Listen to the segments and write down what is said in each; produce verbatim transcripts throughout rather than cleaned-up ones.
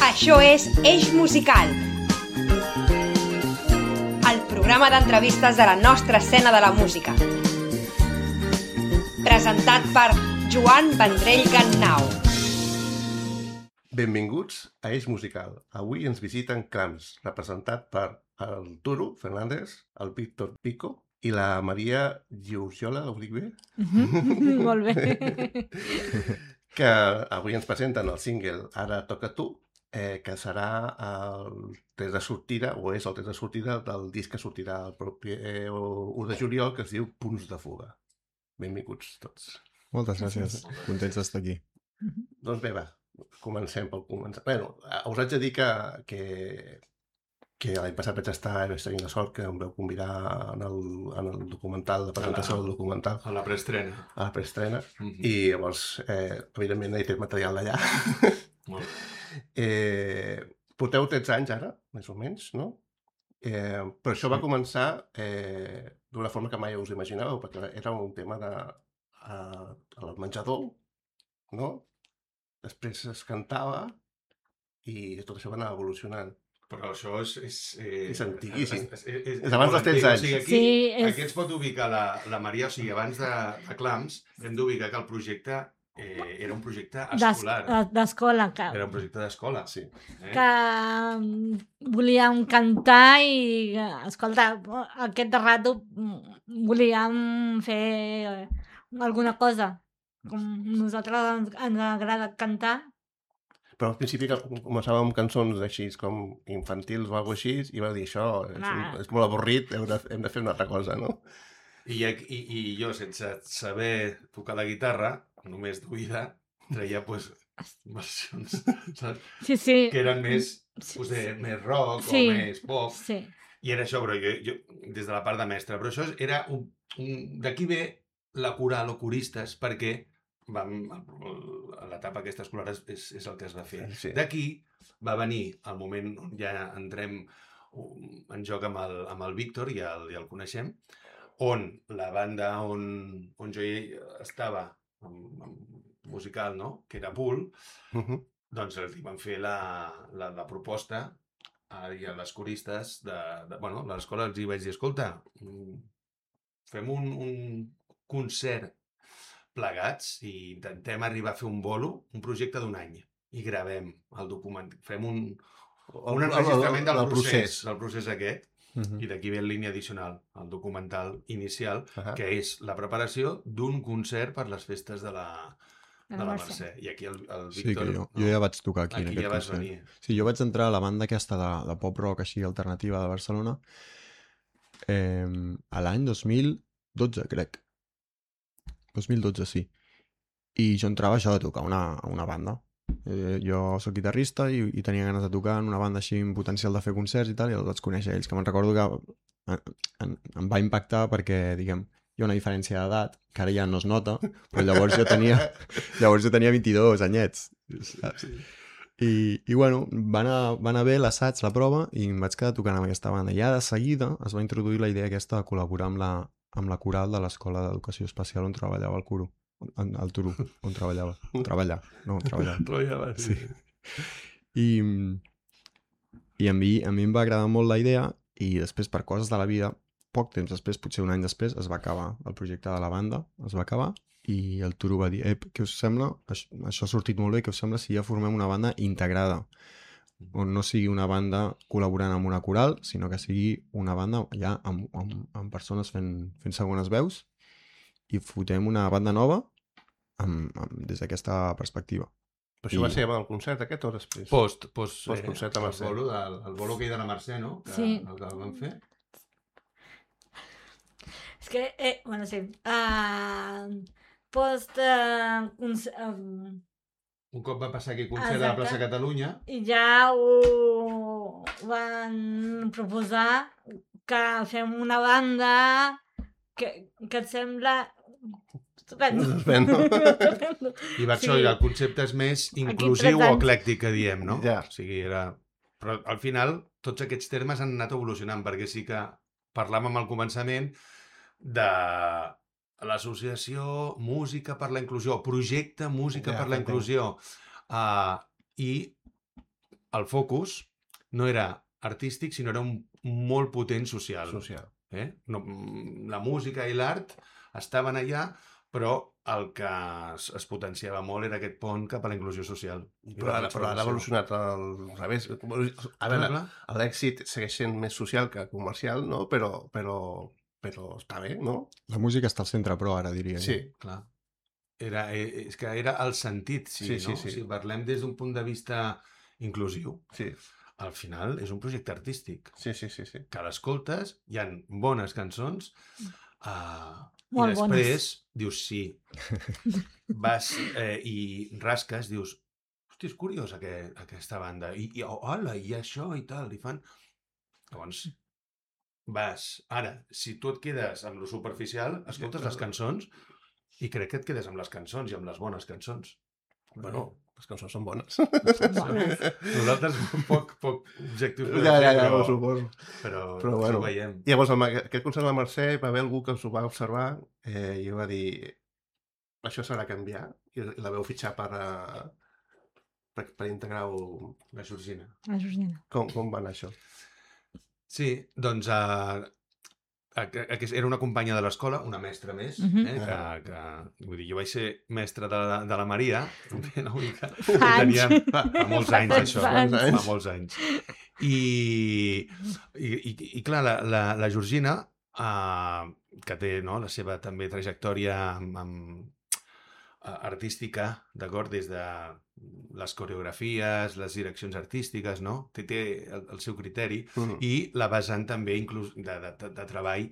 Això és Eix Musical, el programa d'entrevistes de la nostra escena de la música. Presentat per Joan Vendrell Gannau. Benvinguts a Eix Musical. Avui ens visiten Clams, representat per el Turo Fernández, el Víctor Pico i la Maria Giurgiola, ho dic bé? Mm-hmm. Molt bé. Que avui ens presenten el single Ara toca tu, eh, que serà el tret de sortida, o és el tret de sortida del disc que sortirà el propi eh, u de juliol, que es diu Punts de fuga. Benvinguts tots. Moltes gràcies. Contents d'estar aquí. Doncs bé, va, comencem pel començar. Bé, us haig de dir que, que, que l'any passat vaig estar, vaig tenir la sort que em vau convidar en el, en el documental, la presentació del documental. A la preestrena. A la preestrena. Mm-hmm. I llavors, eh, evidentment, he tret material d'allà. Molt bé. Eh, porteu tretze anys ara, més o menys, no? Eh, però això va començar eh, d'una forma que mai us imaginàveu, perquè era un tema de, a, al menjador, no? Després es cantava i tot això va anar evolucionant. Però això és... És, eh, és antiguíssim. És, és, és, és abans dels tretze anys. O sigui, aquí, sí, és... aquí ens pot ubicar la, la Maria, o sigui, abans de, de Clams, hem d'ubicar que el projecte eh, era un projecte escolar. D'escola, que... Era un projecte d'escola, sí. Eh? Que volíem cantar i, escolta, aquest rato volíem fer alguna cosa. Com nosaltres ens, ens agrada cantar. Però al principi començàvem amb cançons així com infantils o alguna així i va dir això, és, un, és molt avorrit, hem de, hem de fer una altra cosa, no? I, i, i jo, sense saber tocar la guitarra, només d'oïda, treia pues, versions, saps? Sí, sí. Que eren més, sí, pues, de, sí. més rock sí. o més pop. Sí. I era això, però jo, jo, des de la part de mestre. Però això era un... un d'aquí ve la coral o coristes, perquè vam, a l'etapa aquesta escolar és, és, és el que es va fer. Sí. D'aquí va venir el moment on ja entrem en joc amb el, amb el Víctor, i el, ja el coneixem, on la banda on, on jo estava, amb, amb musical, no? Que era Pool, uh-huh. Doncs li van fer la, la, la proposta a, a les coristes de, de bueno, a l'escola els hi vaig dir, escolta, fem un, un concert plegats i intentem arribar a fer un bolo, un projecte d'un any, i gravem el document, fem un, un enregistrament del procés, procés, del procés aquest, uh-huh. I d'aquí ve en línia addicional, el documental inicial, uh-huh. Que és la preparació d'un concert per les festes de la, de la Mercè. I aquí el, el Víctor... Sí, que jo, no? jo ja vaig tocar aquí, aquí en aquest ja vas concert. Venir. Sí, jo vaig entrar a la banda aquesta de, de pop-rock així alternativa de Barcelona eh, a l'any dos mil dotze, crec. dos mil dotze, sí. I jo entrava això de tocar una, una banda. Eh, jo soc guitarrista i, i tenia ganes de tocar en una banda així amb potencial de fer concerts i tal, i els vaig conèixer ells, que me'n recordo que en, en, em va impactar perquè, diguem, hi ha una diferència d'edat, que ara ja no es nota, però llavors jo tenia, llavors jo tenia vint-i-dos anyets, saps? I, i bueno, va anar, va anar bé l'assaig, la prova, i em vaig quedar tocant amb aquesta banda. I ja de seguida es va introduir la idea aquesta de col·laborar amb la, amb la coral de l'Escola d'Educació Especial on treballava el Curo. Al Turo, on treballava. Treballar, no, treballar. Treballava, sí. sí. I, i a, mi, a mi em va agradar molt la idea i després, per coses de la vida, poc temps després, potser un any després, es va acabar el projecte de la banda, es va acabar, i el Turo va dir, eh, què us sembla? Això, això ha sortit molt bé, què us sembla si ja formem una banda integrada? On no sigui una banda col·laborant amb una coral, sinó que sigui una banda ja amb, amb, amb persones fent, fent segones veus, i fotem una banda nova amb, amb, des d'aquesta perspectiva. Però això I... va ser amb el concert aquest o després? Post, post, post concert a Mercè. El bolo, del, el bolo que hi ha de la Mercè, no? Que, sí. El que el vam fer. És que, eh, bueno, sí. Uh, post... Uh, un, um... un cop va passar aquí concert a la plaça Catalunya. I ja ho van proposar que fem una banda que, que et sembla estupendo. Estupendo. I va això, sí. El concepte és més inclusiu o eclèctic, que diem, no? Ja. O sigui, era... Però al final tots aquests termes han anat evolucionant, perquè sí que parlàvem al començament de l'associació Música per la Inclusió, projecte Música ja, per la Inclusió. Uh, I el focus no era artístic, sinó era un molt potent social. Social. Eh? No, la música i l'art estaven allà, però el que es, es potenciava molt era aquest pont cap a la inclusió social. Però ara, però ara ha evolucionat al revés. A veure, l'èxit segueix sent més social que comercial, no? Però, però, però està bé, no? La música està al centre, però ara diria. Sí. Jo. Clar. Era, eh, és que era el sentit, sí, Sí, sí, no? sí. Si parlem des d'un punt de vista inclusiu, Sí, al final és un projecte artístic. sí, sí, sí. sí. Que l'escoltes, hi ha bones cançons, uh, i Molt després dius sí. Vas eh, i rasques, dius, hosti, és curiós aquest, aquesta banda. I, i oh, hola, i això i tal, i fan... Llavors, vas... Ara, si tu et quedes amb lo superficial, escoltes les cançons i crec que et quedes amb les cançons i amb les bones cançons. Bueno, les cançons són bones. Bones. Nosaltres poc, poc objectius podem Ja, ja, fer, ja, però, ho suposo. però, Però això bueno. ho veiem. Llavors, amb aquest concert de la Mercè, va haver algú que us ho va observar eh, i va dir això s'ha de canviar, i la veu fitxar per, uh, per, per integrar-ho. La Georgina. La Georgina. Com, com va anar això? Sí, doncs uh, era una companya de l'escola, una mestra més, Mhm. eh, que, que, vull dir, jo vaig ser mestre de la, de la Maria, una mica, Fa anys. teníem, fa, fa molts Fa anys, tants això, anys. fa molts anys. I, i, i, i clar, la, la, la Georgina, uh, que té no, la seva també trajectòria amb, amb, uh, artística, d'acord, des de les coreografies, les direccions artístiques, no? Té, té el, el seu criteri, Mm. i la vessant també inclús de, de, de, de treball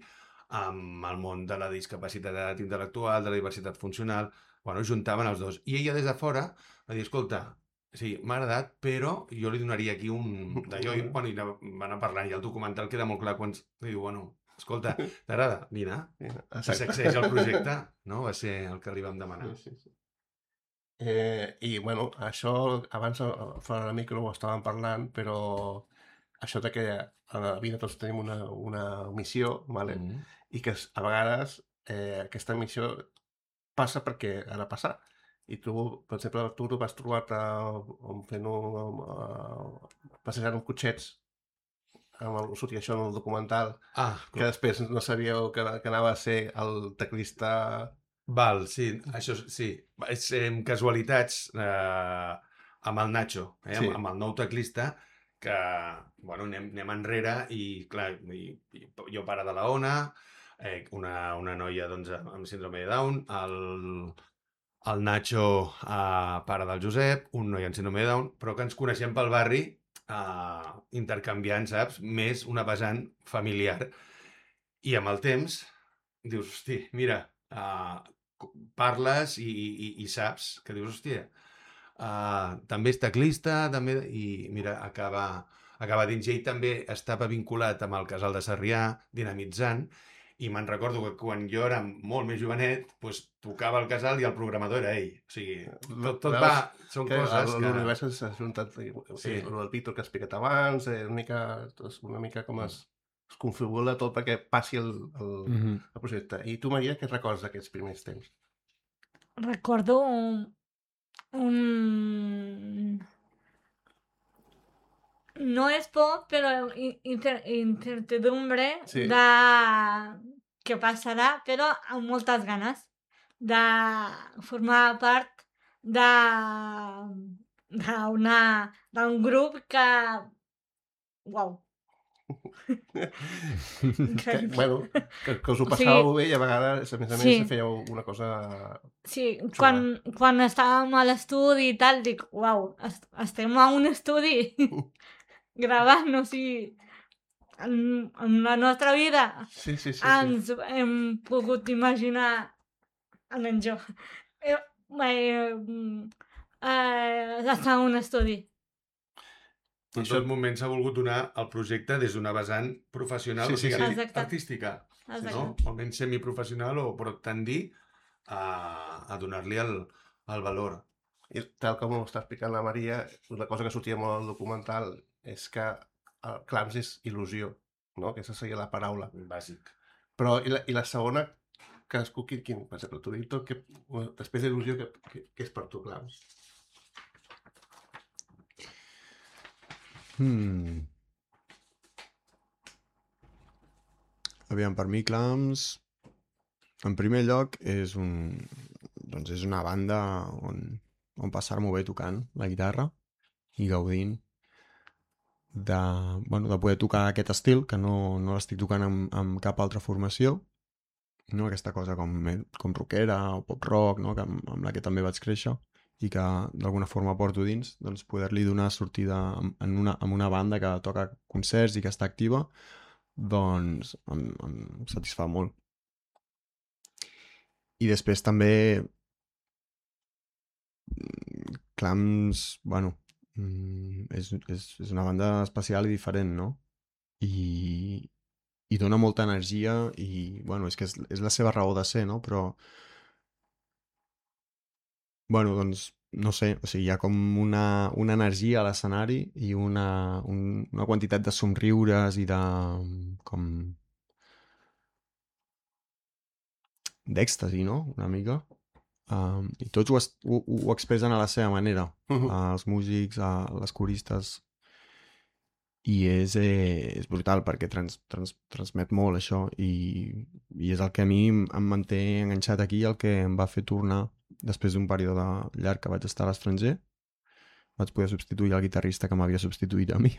amb el món de la discapacitat intel·lectual, de la diversitat funcional, bueno, juntaven els dos. I ella des de fora va dir, escolta, sí, m'ha agradat, però jo li donaria aquí un d'allò, i, bueno, i va anar parlant, i el documental queda molt clar quan diu, bueno, escolta, t'agrada? Vine, i s'accedeix al projecte, no? Va ser el que li vam demanar. Sí, sí, sí. Eh, I, bueno, això abans eh, fora de micro ho estàvem parlant, però això de que a la vida tots tenim una, una missió, vale? Mm. I que a vegades eh, aquesta missió passa perquè ha de passar. I tu, per exemple, tu tu vas trobar-te fent un... Uh, passejant amb cotxets, amb el, sortia això en el documental, Ah, que després no sabíeu que, que anava a ser el teclista... val, sí, això sí. És eh, casualitats eh, amb el Nacho, eh, Sí. amb, amb el nou teclista, que, bueno, anem, anem enrere i, clar, i, i jo pare de la Ona, eh, una, una noia, doncs, amb síndrome de Down, el, el Nacho, eh, pare del Josep, un noi amb síndrome de Down, però que ens coneixem pel barri eh, intercanviant, saps? Més una vessant familiar. I amb el temps dius, hosti, mira, uh, parles i, i, i saps que dius, hòstia, uh, també és teclista, també, i mira, acaba, acaba dins. I ell també estava vinculat amb el Casal de Sarrià, dinamitzant, i me'n recordo que quan jo era molt més jovenet, doncs, tocava el Casal i el programador era ell. O sigui, tot, tot va... Són que coses que... l'univers s'ha juntat, sí. Sí. El Víctor que has explicat abans, eh, una mica, una mica com es, es configura tot perquè passi el, el, Mm -hmm. el projecte. I tu, Maria, què et recordes d'aquests primers temps? Recordo un... un... No és por, però in- incer incertidumbre Sí. de què passarà, però amb moltes ganes de formar part de d'una d'un grup que... Uau! Que, Increïble. bueno, que, que us ho O sigui- passàveu bé i a vegades, a més a més, Sí. fèieu una cosa... Sí, quan, quan estàvem a l'estudi i tal, dic, uau, est estem a un estudi gravant, o sigui, en, en la nostra vida Sí, sí, sí. sí. ens hem pogut imaginar, almenys jo, eh, eh, eh, estar en un estudi. En Això- tot moment s'ha volgut donar el projecte des d'una vessant professional, Sí, o sigui, sí, sí. Exacte. artística, Exacte. no? Almenys semiprofessional, o però tendir a, a donar-li el, el valor. I tal com ho està explicant la Maria, una cosa que sortia molt al documental és que el clams és il·lusió, no? Aquesta seria la paraula. Bàsic. Però i la, i la segona, cadascú, quin, quin, per exemple, tu, Víctor, que, després d'il·lusió, què, què, què és per tu clams? Hmm. Aviam, per mi Clams, en primer lloc, és un... doncs és una banda on, on passar-m'ho bé tocant la guitarra i gaudint de, bueno, de poder tocar aquest estil, que no, no l'estic tocant amb, amb cap altra formació, no? Aquesta cosa com, com rockera o pop-rock, no? Que, amb, amb la que també vaig créixer i que d'alguna forma porto dins, doncs poder-li donar sortida en una, en una banda que toca concerts i que està activa, doncs em, em satisfà molt. I després també Clams, bueno, és, és, és una banda especial i diferent, no? I, i dona molta energia i, bueno, és que és, és la seva raó de ser, no? Però, bueno, doncs, no sé, o sigui, hi ha com una, una energia a l'escenari i una, un, una quantitat de somriures i de, com, d'èxtasi, no? Una mica. Um, I tots ho, es, ho, ho expressen a la seva manera. Mhm. Uh, els músics, uh, les coristes... I és, eh, és brutal perquè trans, trans, transmet molt això i, i és el que a mi em em manté enganxat aquí, el que em va fer tornar després d'un període llarg que vaig estar a l'estranger. Vaig poder substituir el guitarrista que m'havia substituït a mi.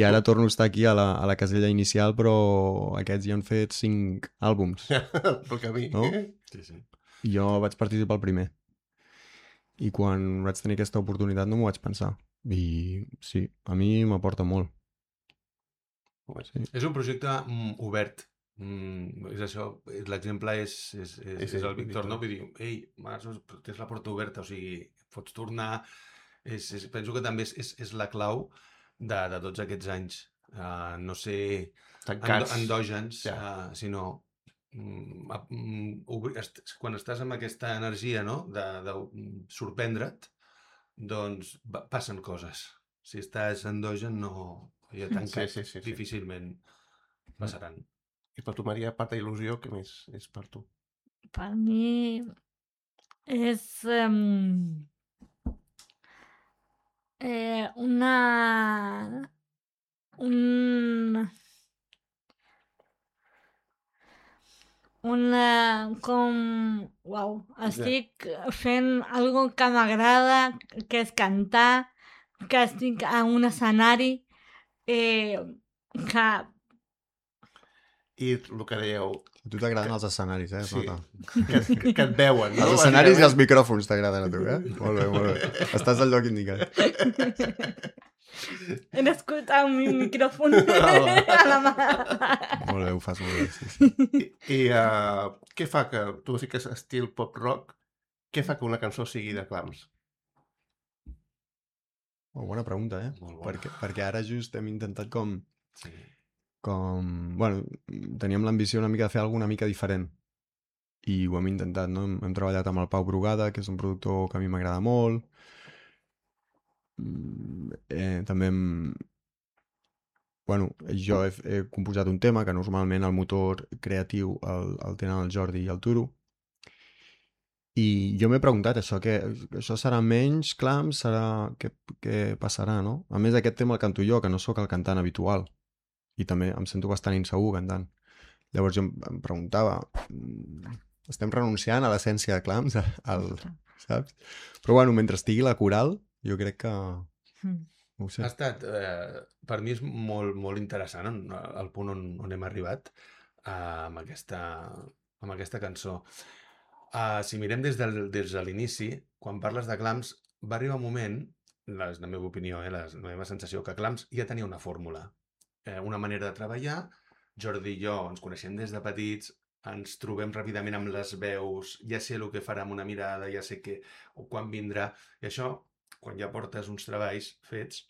I ara torno a estar aquí a la, a la casella inicial, però aquests ja han fet cinc àlbums. Pel camí. No? Sí, sí. I jo vaig participar al primer. I quan vaig tenir aquesta oportunitat no m'ho vaig pensar. I sí, a mi m'aporta molt. Sí. És un projecte mm, obert. Mm, és això, l'exemple és, és, és, És és el ell, Víctor, Víctor. no? Vull dir, ei, Marços, tens la porta oberta, o sigui, pots tornar... És, és, penso que també és, és, és la clau de, de tots aquests anys. Uh, no ser endo, Tancats. endògens, Ja. uh, sinó... Mm, a- mm, obri- est- quan estàs amb aquesta energia, no?, de, de mm, sorprendre't, doncs va- passen coses. Si estàs endogen, no... Ja tancat, Sí, sí, sí, sí. difícilment passaran. I per tu, Maria, a part d'il·lusió, què més és per tu? Per mi és um, eh, una... un... una... com... Uau, estic fent algo que m'agrada, que és cantar, que estic a un escenari eh, que... I el que dèieu, A tu t'agraden els escenaris, eh? Es Sí. nota. que, que, que et veuen, no? Els escenaris i els Bàsicament. micròfons t'agraden a tu, eh? Molt bé, molt bé. Estàs al lloc indicat. He nascut amb un micròfon a la mà. Molt bé, ho fas molt bé. Sí, sí. I, i uh, què fa que, tu sí que és estil pop-rock, què fa que una cançó sigui de Clams? Oh, bona pregunta, eh? Molt bona. Perquè, perquè ara just hem intentat com... Sí. com... Bueno, teníem l'ambició una mica de fer alguna mica diferent. I ho hem intentat, no? Hem, hem treballat amb el Pau Brugada, que és un productor que a mi m'agrada molt. Mm, Eh, també hem... Bueno, jo he, he composat un tema que normalment el motor creatiu el, el tenen el Jordi i el Turo. I jo m'he preguntat això, que això serà menys Clams, serà... Què, què passarà, no? A més, aquest tema el canto jo, que no sóc el cantant habitual. I també em sento bastant insegur cantant. Llavors jo em, em preguntava, mm, estem renunciant a l'essència de Clams, al, saps? Però bueno, mentre estigui la coral, jo crec que... No ho sé. Ha estat, eh, per mi és molt, molt interessant en, el punt on, on hem arribat eh, amb, aquesta, amb aquesta cançó. Uh, si mirem des, del, des de l'inici, quan parles de Clams, va arribar un moment, la, és la meva opinió, eh, la, la meva sensació, que Clams ja tenia una fórmula, eh, una manera de treballar. Jordi i jo ens coneixem des de petits, ens trobem ràpidament amb les veus, ja sé el que farà amb una mirada, ja sé que, o quan vindrà, i això, quan ja portes uns treballs fets,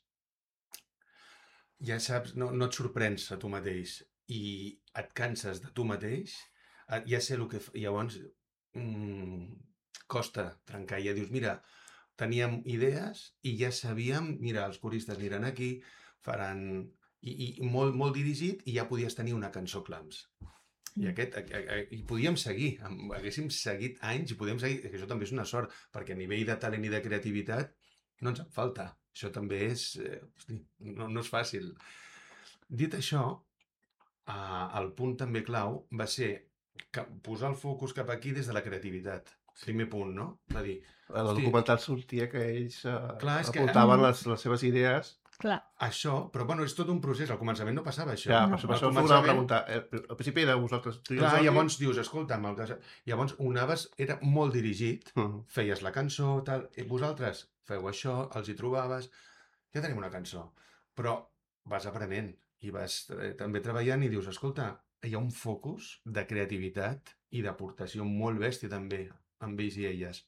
ja saps, no, no et sorprens a tu mateix i et canses de tu mateix, eh, ja sé el que... fa- Llavors, mm, costa trencar. Ja dius, mira, teníem idees i ja sabíem, mira, els coristes aniran aquí, faran... I, i molt, molt dirigit i ja podies tenir una cançó Clams. I aquest, a, a, a, i podíem seguir, amb- haguéssim seguit anys i podíem seguir, que això també és una sort, perquè a nivell de talent i de creativitat no ens en falta. Això també és... Eh, hosti, no, no és fàcil. Dit això, eh, el punt també clau va ser que posar el focus cap aquí des de la creativitat. Primer punt, no? Va dir, En el hosti, documental sortia que ells eh, Clar, és que- apuntaven Mm. les, les seves idees. Clar. això, però bueno, és tot un procés. Al començament no passava això. Ja, No. per això, per Al això us una començament- pregunta. Eh, Al principi era vosaltres. tu i el Clar, Jordi. llavors dius, escolta'm, el que... llavors ho anaves, era molt dirigit, Mm. feies la cançó, tal, i vosaltres feu això, els hi trobaves, ja tenim una cançó. Però vas aprenent i vas eh, també treballant i dius, escolta, hi ha un focus de creativitat i d'aportació molt bèstia també amb ells i elles.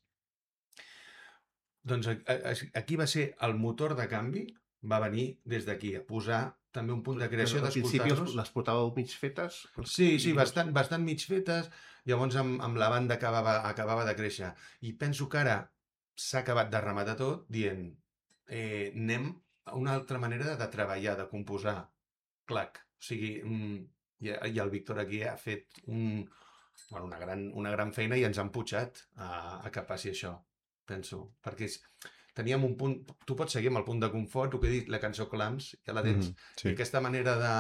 Doncs a- a- aquí va ser el motor de canvi, va venir des d'aquí, a posar també un punt de creació, Al principi els- d'escoltar-los. les portàveu mig fetes. Sí, sí, i- bastant, bastant mig fetes, llavors amb, amb la banda acabava, acabava de créixer. I penso que ara s'ha acabat de rematar tot dient eh, anem a una altra manera de, de treballar, de composar. Clac. O sigui, mm, i, i el Víctor aquí ha fet un, bueno, una, gran, una gran feina i ens han putxat a, a que passi això, penso. Perquè és, teníem un punt... Tu pots seguir amb el punt de confort, el que he dit, la cançó Clams, ja la tens. Mhm, I sí. aquesta manera de...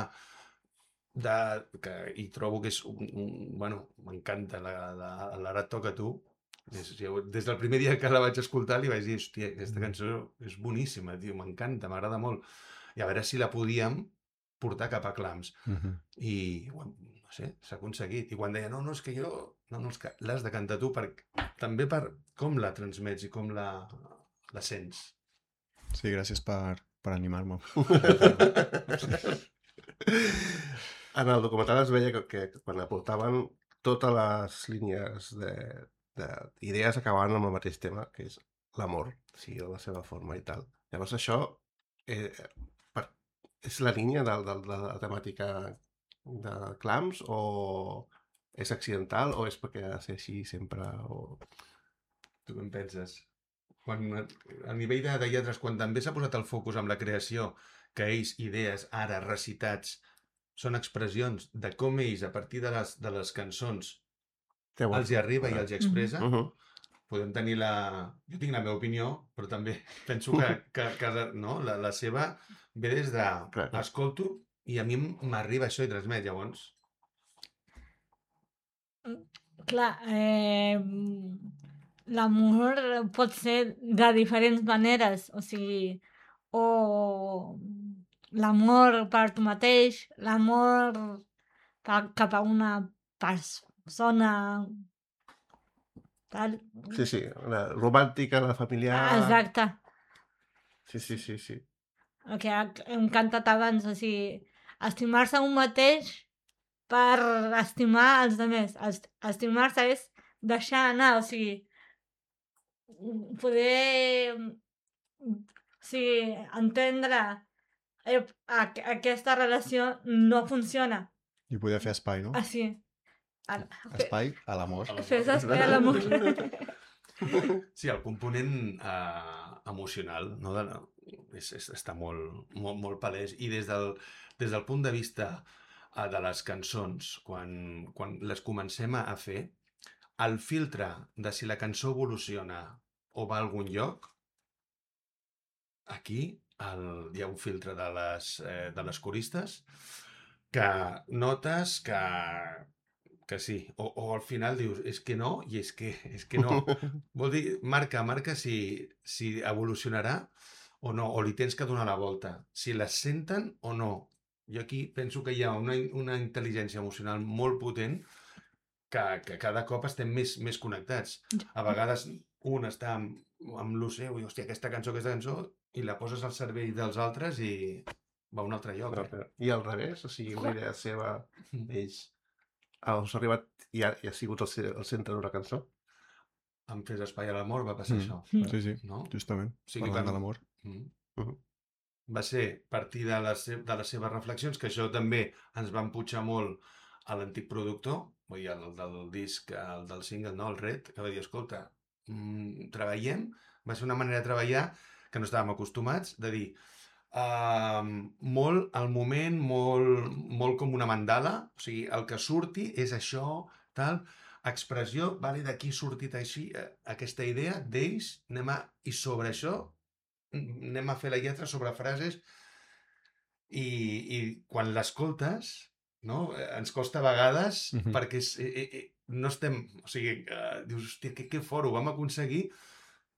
de que, I trobo que és un... un bueno, m'encanta, la- la- l'Ara et toca a tu. Des, jo, des del primer dia que la vaig escoltar li vaig dir, hòstia, aquesta cançó és boníssima, tio, m'encanta, m'agrada molt. I a veure si la podíem portar cap a Clams. Mhm. I, ho hem- no sé, s'ha aconseguit. I quan deia, no, no, és que jo... No, no, és que l'has de cantar tu, per, també per com la transmets i com la, la sents. Sí, gràcies per, per animar-me. En el documental es veia que, que quan aportaven totes les línies de, de idees acabaven amb el mateix tema, que és l'amor, o sigui, de la seva forma i tal. Llavors això eh, per, és la línia de, de, de la temàtica de Clams o és accidental o és perquè ha de ser així sempre? O... Tu què en penses? Quan, a nivell de, de lletres, quan també s'ha posat el focus amb la creació, que ells, idees, ara, recitats, són expressions de com ells, a partir de les, de les cançons, Què vols? els hi arriba i els hi expressa, Uh -huh. podem tenir la... Jo tinc la meva opinió, però també penso que, que, que no? la, la seva ve des de... Clar, clar. Escolto i a mi m'arriba això i transmet, llavors. Clar, eh, l'amor pot ser de diferents maneres, o sigui, o l'amor per tu mateix, l'amor per- cap a una persona, tal. Sí, sí, la romàntica, la familiar... Ah, exacte, Sí, sí, sí, sí. el que ha- hem cantat abans, o sigui, estimar-se un mateix per estimar els altres. Est- Estimar-se és deixar anar, o sigui, poder o sigui, entendre eh, aqu aquesta relació no funciona. I poder fer espai, no? Així. Ara, fe- Espai a l'amor. fes espai a l'amor. Sí, el component eh, emocional no, de, és, és, està molt, molt, molt palès i des del, des del punt de vista eh, de les cançons, quan, quan les comencem a fer, el filtre de si la cançó evoluciona o va a algun lloc, aquí el, hi ha un filtre de les, eh, de les coristes que notes que, que sí, o, o al final dius, és que no, i és que, és que no. Vol dir, marca, marca si, si evolucionarà o no, o li tens que donar la volta. Si les senten o no. Jo aquí penso que hi ha una, una intel·ligència emocional molt potent que, que cada cop estem més, més connectats. A vegades un està amb, amb lo seu i, hòstia, aquesta cançó, aquesta cançó, i la poses al cervell dels altres i va a un altre lloc. Eh? I al revés, o sigui, una idea seva d'ells ha arribat i ha, i ha sigut el, ce- el centre d'una cançó. En Fes espai a l'amor va passar Mm. això. Mm. Sí, sí, No? justament. O sigui, Parlant vam- de l'amor. Mm. Mhm. Va ser partir de les, se- de les seves reflexions, que això també ens va empujar molt a l'antic productor, vull dir, el del disc, el del single, no, el Red, que va dir, escolta, mm, treballem, va ser una manera de treballar que no estàvem acostumats, de dir, uh, molt al moment, molt, molt com una mandala, o sigui, el que surti és això, tal, expressió, vale, d'aquí ha sortit així, eh, aquesta idea d'ells, anem a... I sobre això anem a fer la lletra sobre frases i, i quan l'escoltes, no? Ens costa a vegades Mhm. perquè és, eh, eh, no estem... O sigui, eh, dius, hòstia, que, que fort, ho vam aconseguir,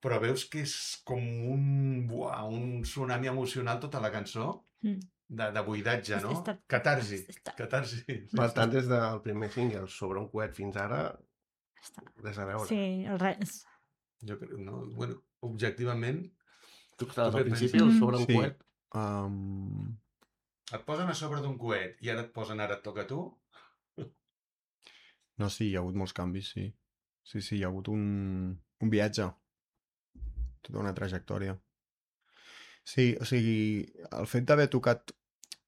però veus que és com un, buah, un tsunami emocional tota la cançó, Mm. de, de buidatge, no? Està- Catarsi, està- catarsi. Per tant, des del primer single sobre un coet fins ara, Està- res a veure. Sí, el res. Jo crec, no? Bueno, objectivament, Tu que estaves Tu al què principi penses? sobre un Sí. coet, Um, et posen a sobre d'un coet i ara et posen ara et toca a tu, no, sí, hi ha hagut molts canvis, sí. Sí, sí, hi ha hagut un, un viatge, tota una trajectòria. Sí, o sigui, el fet d'haver tocat...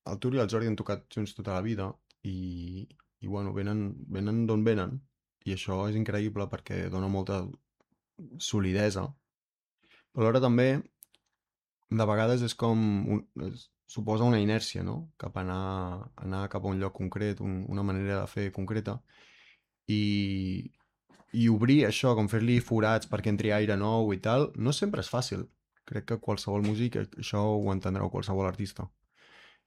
El Tur i el Jordi han tocat junts tota la vida i, i bueno, venen, venen d'on venen i això és increïble perquè dona molta solidesa. Però alhora també, de vegades és com... Un, és, suposa una inèrcia, no? Cap a anar, anar cap a un lloc concret, un, una manera de fer concreta. I, i obrir això, com fer-li forats perquè entri aire nou i tal, no sempre és fàcil. Crec que qualsevol músic, això ho entendreu qualsevol artista.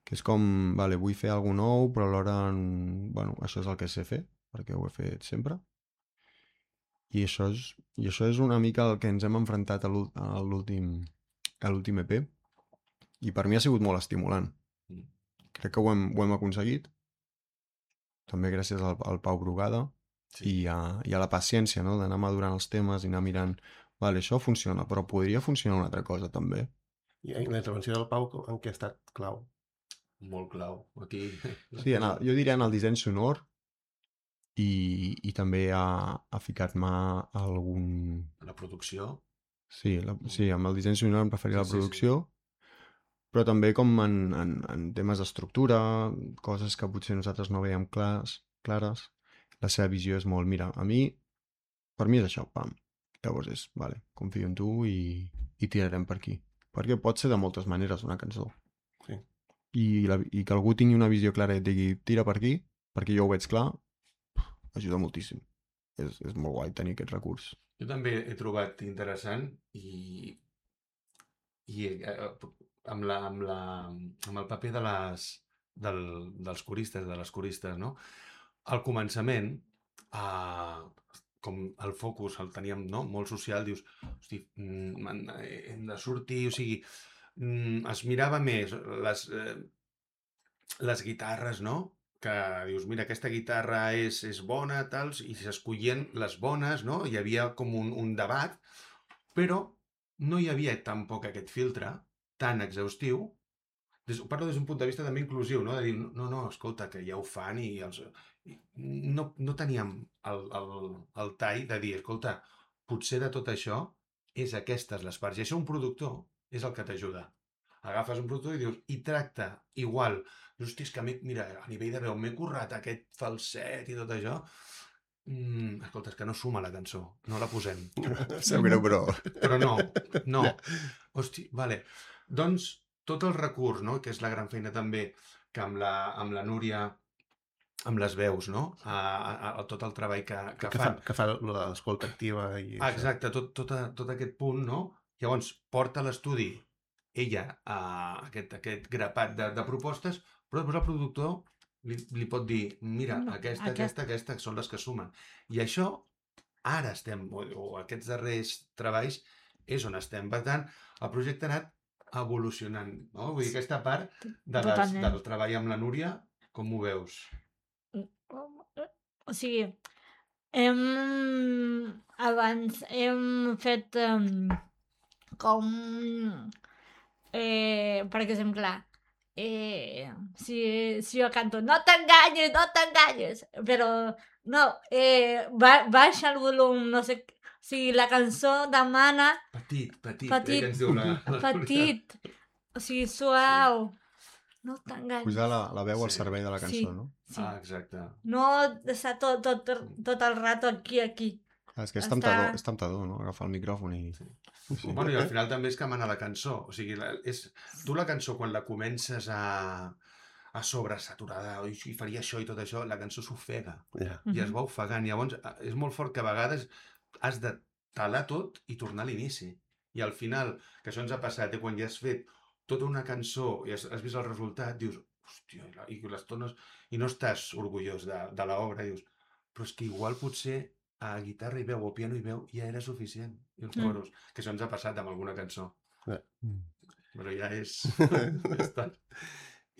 Que és com, vale, vull fer alguna nou, però alhora, mm, bueno, això és el que sé fer, perquè ho he fet sempre. I això és, i això és una mica el que ens hem enfrontat a l'úl- a l'últim a l'últim E P. I per mi ha sigut molt estimulant. Mm. Crec que ho hem, ho hem aconseguit. També gràcies al, al Pau Brugada sí. i, a, i a la paciència, no? D'anar madurant els temes i anar mirant, vale, això funciona, però podria funcionar una altra cosa també. i la intervenció del Pau en què ha estat clau. molt clau. Aquí... Sí, en el, jo diria en el disseny sonor i, i també ha, ha ficat-me algun... La producció. Sí, la, sí, amb el disseny sonor em referia a la Sí, sí, sí. producció, però també com en, en, en temes d'estructura, coses que potser nosaltres no veiem clars, clares. La seva visió és molt, mira, a mi, per mi és això, pam. Llavors és, vale, confio en tu i, i tirarem per aquí. Perquè pot ser de moltes maneres una cançó. Sí. I, la, i que algú tingui una visió clara i et digui, tira per aquí, perquè jo ho veig clar, ajuda moltíssim. És, és molt guai tenir aquest recurs. Jo també he trobat interessant i, i eh, amb, la, amb, la, amb el paper de les, del, dels coristes, de les coristes, no? Al començament, eh, com el focus el teníem, no? Molt social, dius, hosti, mm, hem de sortir, o sigui, mm, es mirava més les, eh, les guitarres, no? Que dius, mira, aquesta guitarra és, és bona, tals, i s'escollien les bones, no? Hi havia com un, un debat, però no hi havia tampoc aquest filtre tan exhaustiu. Des, parlo des d'un punt de vista també inclusiu, no? De dir, no, no, escolta, que ja ho fan i els... i no, no teníem el, el, el tall de dir, escolta, potser de tot això és aquestes les parts. I això un productor és el que t'ajuda. Agafes un productor i dius, i tracta igual. Dius, hosti, és que mira, a nivell de veu m'he currat aquest falset i tot això. Mm, escolta, és que no suma la cançó, no la posem. Sap greu, però... Però no, no. Hosti, vale. Doncs tot el recurs, no? Que és la gran feina també que amb la, amb la Núria, amb les veus, no? A, a, a tot el treball que, que, Que fan. fa, que fa l'escolta activa i Ah, això. exacte, tot, tot, a, tot aquest punt, no? Llavors, porta a l'estudi ella a aquest, aquest grapat de, de propostes, però després el productor li, li pot dir, mira, No, aquesta, aquesta. aquesta, aquesta són les que sumen. I això, ara estem, o, o aquests darrers treballs, és on estem. Per tant, el projecte ha anat evolucionant, no? Vull dir, aquesta part de les, Totalment. del treball amb la Núria, com ho veus? O sigui, hem... abans hem fet um, com... Eh, per exemple, eh, si, si jo canto no t'enganyes, no t'enganyes, però no, eh, ba baixa el volum, no sé, o sigui, la cançó demana Petit, petit, Petit, eh, que ens diu la, la Núria. petit, o sigui, suau, no t'enganyes. Posar la, la veu al Sí. servei de la cançó, Sí. no? Sí. Ah, exacte. No estar tot, tot, tot el rato aquí, aquí. Ah, és que és Està- temptador, és temptador, no? Agafar el micròfon i... Sí. Sí. Bueno, i al final també és que mana la cançó. O sigui, la, és, tu la cançó, quan la comences a, a sobresaturada, oi, i faria això i tot això, la cançó s'ofega Ja. i es va ofegant. Llavors, és molt fort que a vegades has de talar tot i tornar a l'inici. I al final, que això ens ha passat, eh, quan ja has fet tota una cançó i has, has vist el resultat, dius, hòstia, i la- i les tones, i no estàs orgullós de, de l'obra, dius, però és que igual potser a guitarra i veu o piano i veu ja era suficient. I els Mm. coros, que això ens ha passat amb alguna cançó. Mm. Però ja és... ja està.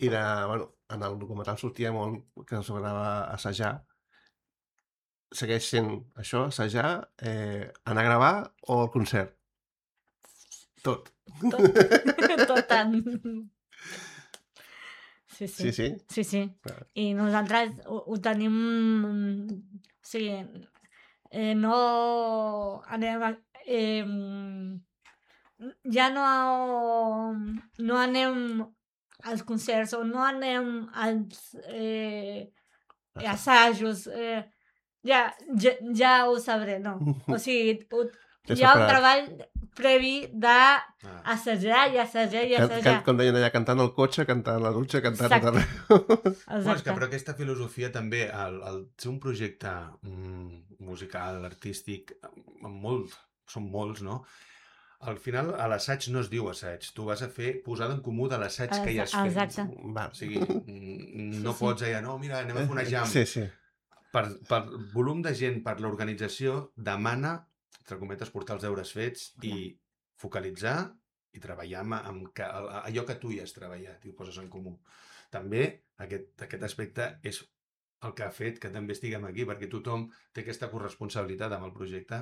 I de, bueno, en el documental sortia molt que ens agradava assajar. Segueix sent això, assajar, eh, anar a gravar o el concert? Tot. Tot, tot tant. Sí, sí. Sí, sí? Sí, sí. Clar. I nosaltres ho, ho tenim... O sigui, eh, no anem a... Eh, ja no, no anem als concerts o no anem als eh, assajos. Eh, ja, ja, ja ho sabré, no. O sigui, ho, Ja hi ha un separat. treball previ d'assajar i assajar i Can, assajar. can, com deien allà, cantant al cotxe, cantant a la dutxa, cantant Exacte. a Bueno, és que, Exacte. però aquesta filosofia també, el, el ser un projecte mm, musical, artístic, amb molt, són molts, no? Al final, a l'assaig no es diu assaig. Tu vas a fer posada en comú de l'assaig que ja has fet. Exacte. Va. O sigui, mm, no Sí, sí. pots allà, no, mira, anem a fer una jam. Sí, sí. Per, per volum de gent, per l'organització, demana, entre cometes, portar els deures fets i focalitzar i treballar amb, amb que, allò que tu hi has treballat i ho poses en comú. També aquest, aquest aspecte és el que ha fet que també estiguem aquí, perquè tothom té aquesta corresponsabilitat amb el projecte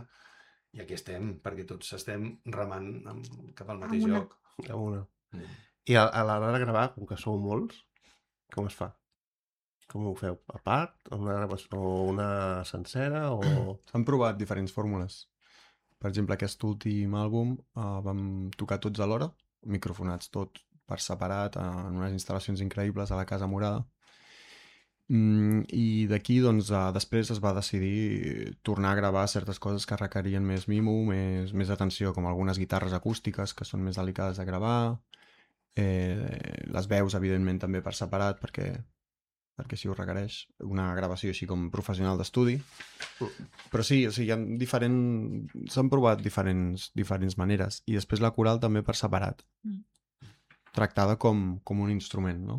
i aquí estem, perquè tots estem remant amb, cap al mateix Amb una. lloc. A una. Mm. I a, a l'hora de gravar, com que sou molts, com es fa? Com ho feu? A part? Una gravació o una sencera? O... S'han provat diferents fórmules. Per exemple, aquest últim àlbum uh, vam tocar tots alhora, microfonats tots per separat, uh, en unes instal·lacions increïbles a la Casa Morada. Mm, I d'aquí, doncs, uh, després es va decidir tornar a gravar certes coses que requerien més mimo, més, més atenció, com algunes guitarres acústiques que són més delicades de gravar, eh, les veus, evidentment, també per separat, perquè perquè si ho requereix, una gravació així com professional d'estudi. Però sí, o sigui, hi ha diferent... s'han provat diferents, diferents maneres. I després la coral també per separat. Mm. Tractada com, com un instrument, no?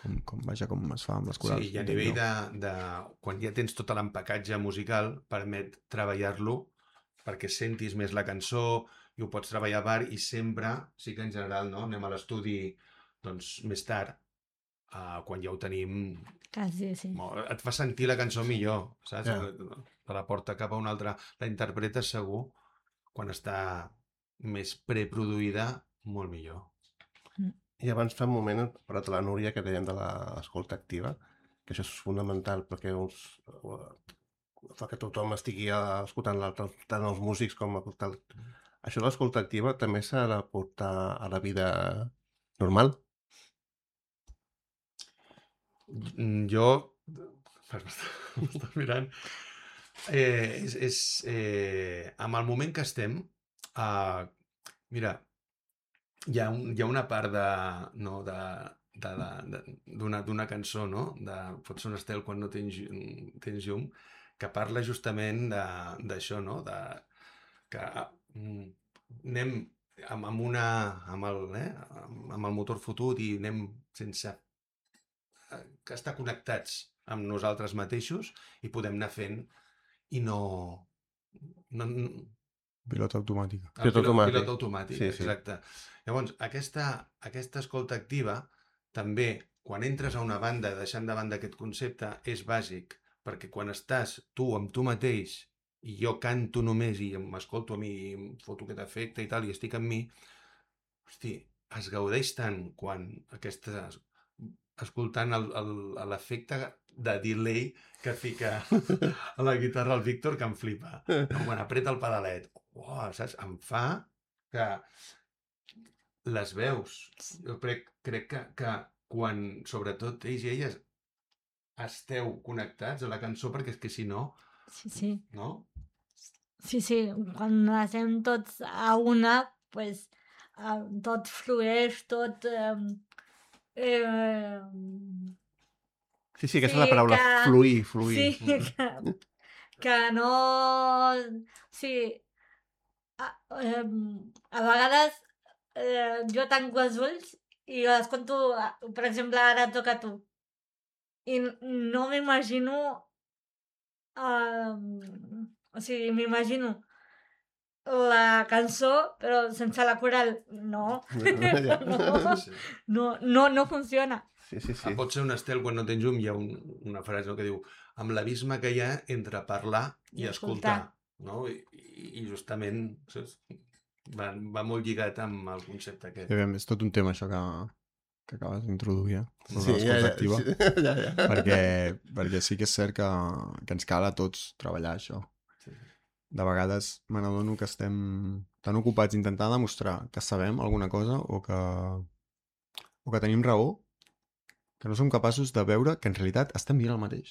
Com, com, vaja, com es fa amb les corals. Sí, i a nivell de, de... Quan ja tens tot l'empacatge musical, permet treballar-lo perquè sentis més la cançó i ho pots treballar a bar i sempre, sí que en general, no? Anem a l'estudi doncs, més tard, uh, quan ja ho tenim... Quasi, sí. Molt, et fa sentir la cançó millor, saps? Ja. Te la porta cap a una altra. La interpretes segur, quan està més preproduïda, molt millor. I abans fa un moment hem parlat de la Núria, que dèiem de l'escolta activa, que això és fonamental perquè uns, fa que tothom estigui escoltant l'altre, tant els músics com a tal. Això de l'escolta activa també s'ha de portar a la vida normal? Jo, m'està mirant, eh, és, és eh, amb el moment que estem, eh, mira, hi ha, un, hi ha una part de, no, de, de la, de, d'una, d'una cançó, no? De Pot ser un estel quan no tens, tens llum, que parla justament de- d'això, no? De, que mm, anem amb, amb, una, amb, el, eh? amb, amb el motor fotut i anem sense eh, que estar connectats amb nosaltres mateixos i podem anar fent i no... no, no Pilota automàtica. el Pilot pilot, automàtic. pilot automàtic, Sí, sí. exacte. Llavors, aquesta, aquesta escolta activa també, quan entres a una banda, deixant de banda aquest concepte, és bàsic, perquè quan estàs tu amb tu mateix i jo canto només i m'escolto a mi i em foto aquest efecte i tal, i estic amb mi, hosti, es gaudeix tant quan aquesta, escoltant el- el- l'efecte de delay que fica a la guitarra el Víctor, que em flipa. Quan apreta el pedalet, uau, saps? Em fa que les veus, jo crec, crec que, que quan, sobretot ells i elles, esteu connectats a la cançó, perquè és que si no, Sí, sí. no? Sí, sí. Quan estem tots a una, pues, eh, tot flueix, tot... Eh, eh, Sí, sí, aquesta Sí, és la paraula, que- fluir, fluir. sí, que, que no... Sí, a, eh, a vegades eh, jo tanco els ulls i escolto, eh, per exemple, ara et toca a tu. I n- no m'imagino... eh, o sigui, m'imagino la cançó, però sense la coral. No. Ja. no. Sí. No, no, no funciona. Sí, sí, Ah, sí. pot ser un estel quan no tens llum, hi ha un, una frase no, que diu amb l'abisme que hi ha entre parlar i, I escoltar. escoltar. No? I, i, I justament saps? Va, va molt lligat amb el concepte aquest. Sí, aviam, és tot un tema això que, que acabes d'introduir, eh? Sobre Sí, ja, l'escolta ja, activa. sí, ja, ja. Perquè, perquè sí que és cert que, que ens cal a tots treballar això. Sí. De vegades me n'adono que estem tan ocupats intentant demostrar que sabem alguna cosa o que, o que tenim raó que no som capaços de veure que en realitat estem dient el mateix.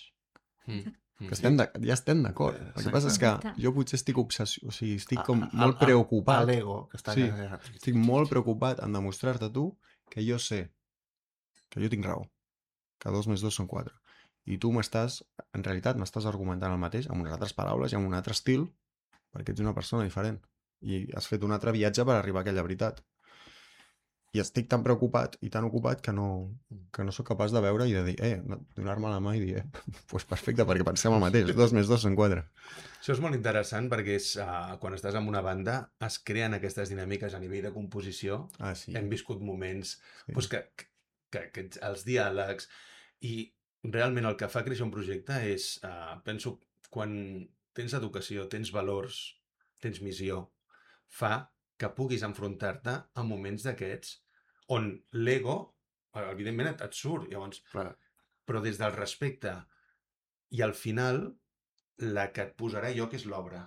Mm. Mm. Que estem de, ja estem d'acord. El que Exacte. passa és que Exacte. jo potser estic obsessionat, o sigui, estic com A- a- molt a- preocupat. A l'ego, que està... Sí, allà. estic molt preocupat en demostrar-te a tu que jo sé, que jo tinc raó, que dos més dos són quatre. I tu m'estàs, en realitat, m'estàs argumentant el mateix amb unes altres paraules i amb un altre estil, perquè ets una persona diferent. I has fet un altre viatge per arribar a aquella veritat. I estic tan preocupat i tan ocupat que no, que no sóc capaç de veure i de dir, eh, no- donar-me la mà i dir, eh, pues perfecte, perquè pensem el mateix, dos més dos són quatre. Això és molt interessant perquè és, uh, quan estàs en una banda es creen aquestes dinàmiques a nivell de composició. Ah, sí. Hem viscut moments Sí. doncs que, que, que els diàlegs i realment el que fa créixer un projecte és, uh, penso, quan tens educació, tens valors, tens missió, fa que puguis enfrontar-te a moments d'aquests on l'ego, eh, evidentment, et, et surt, llavors, Clar. però des del respecte i al final la que et posarà a lloc és l'obra.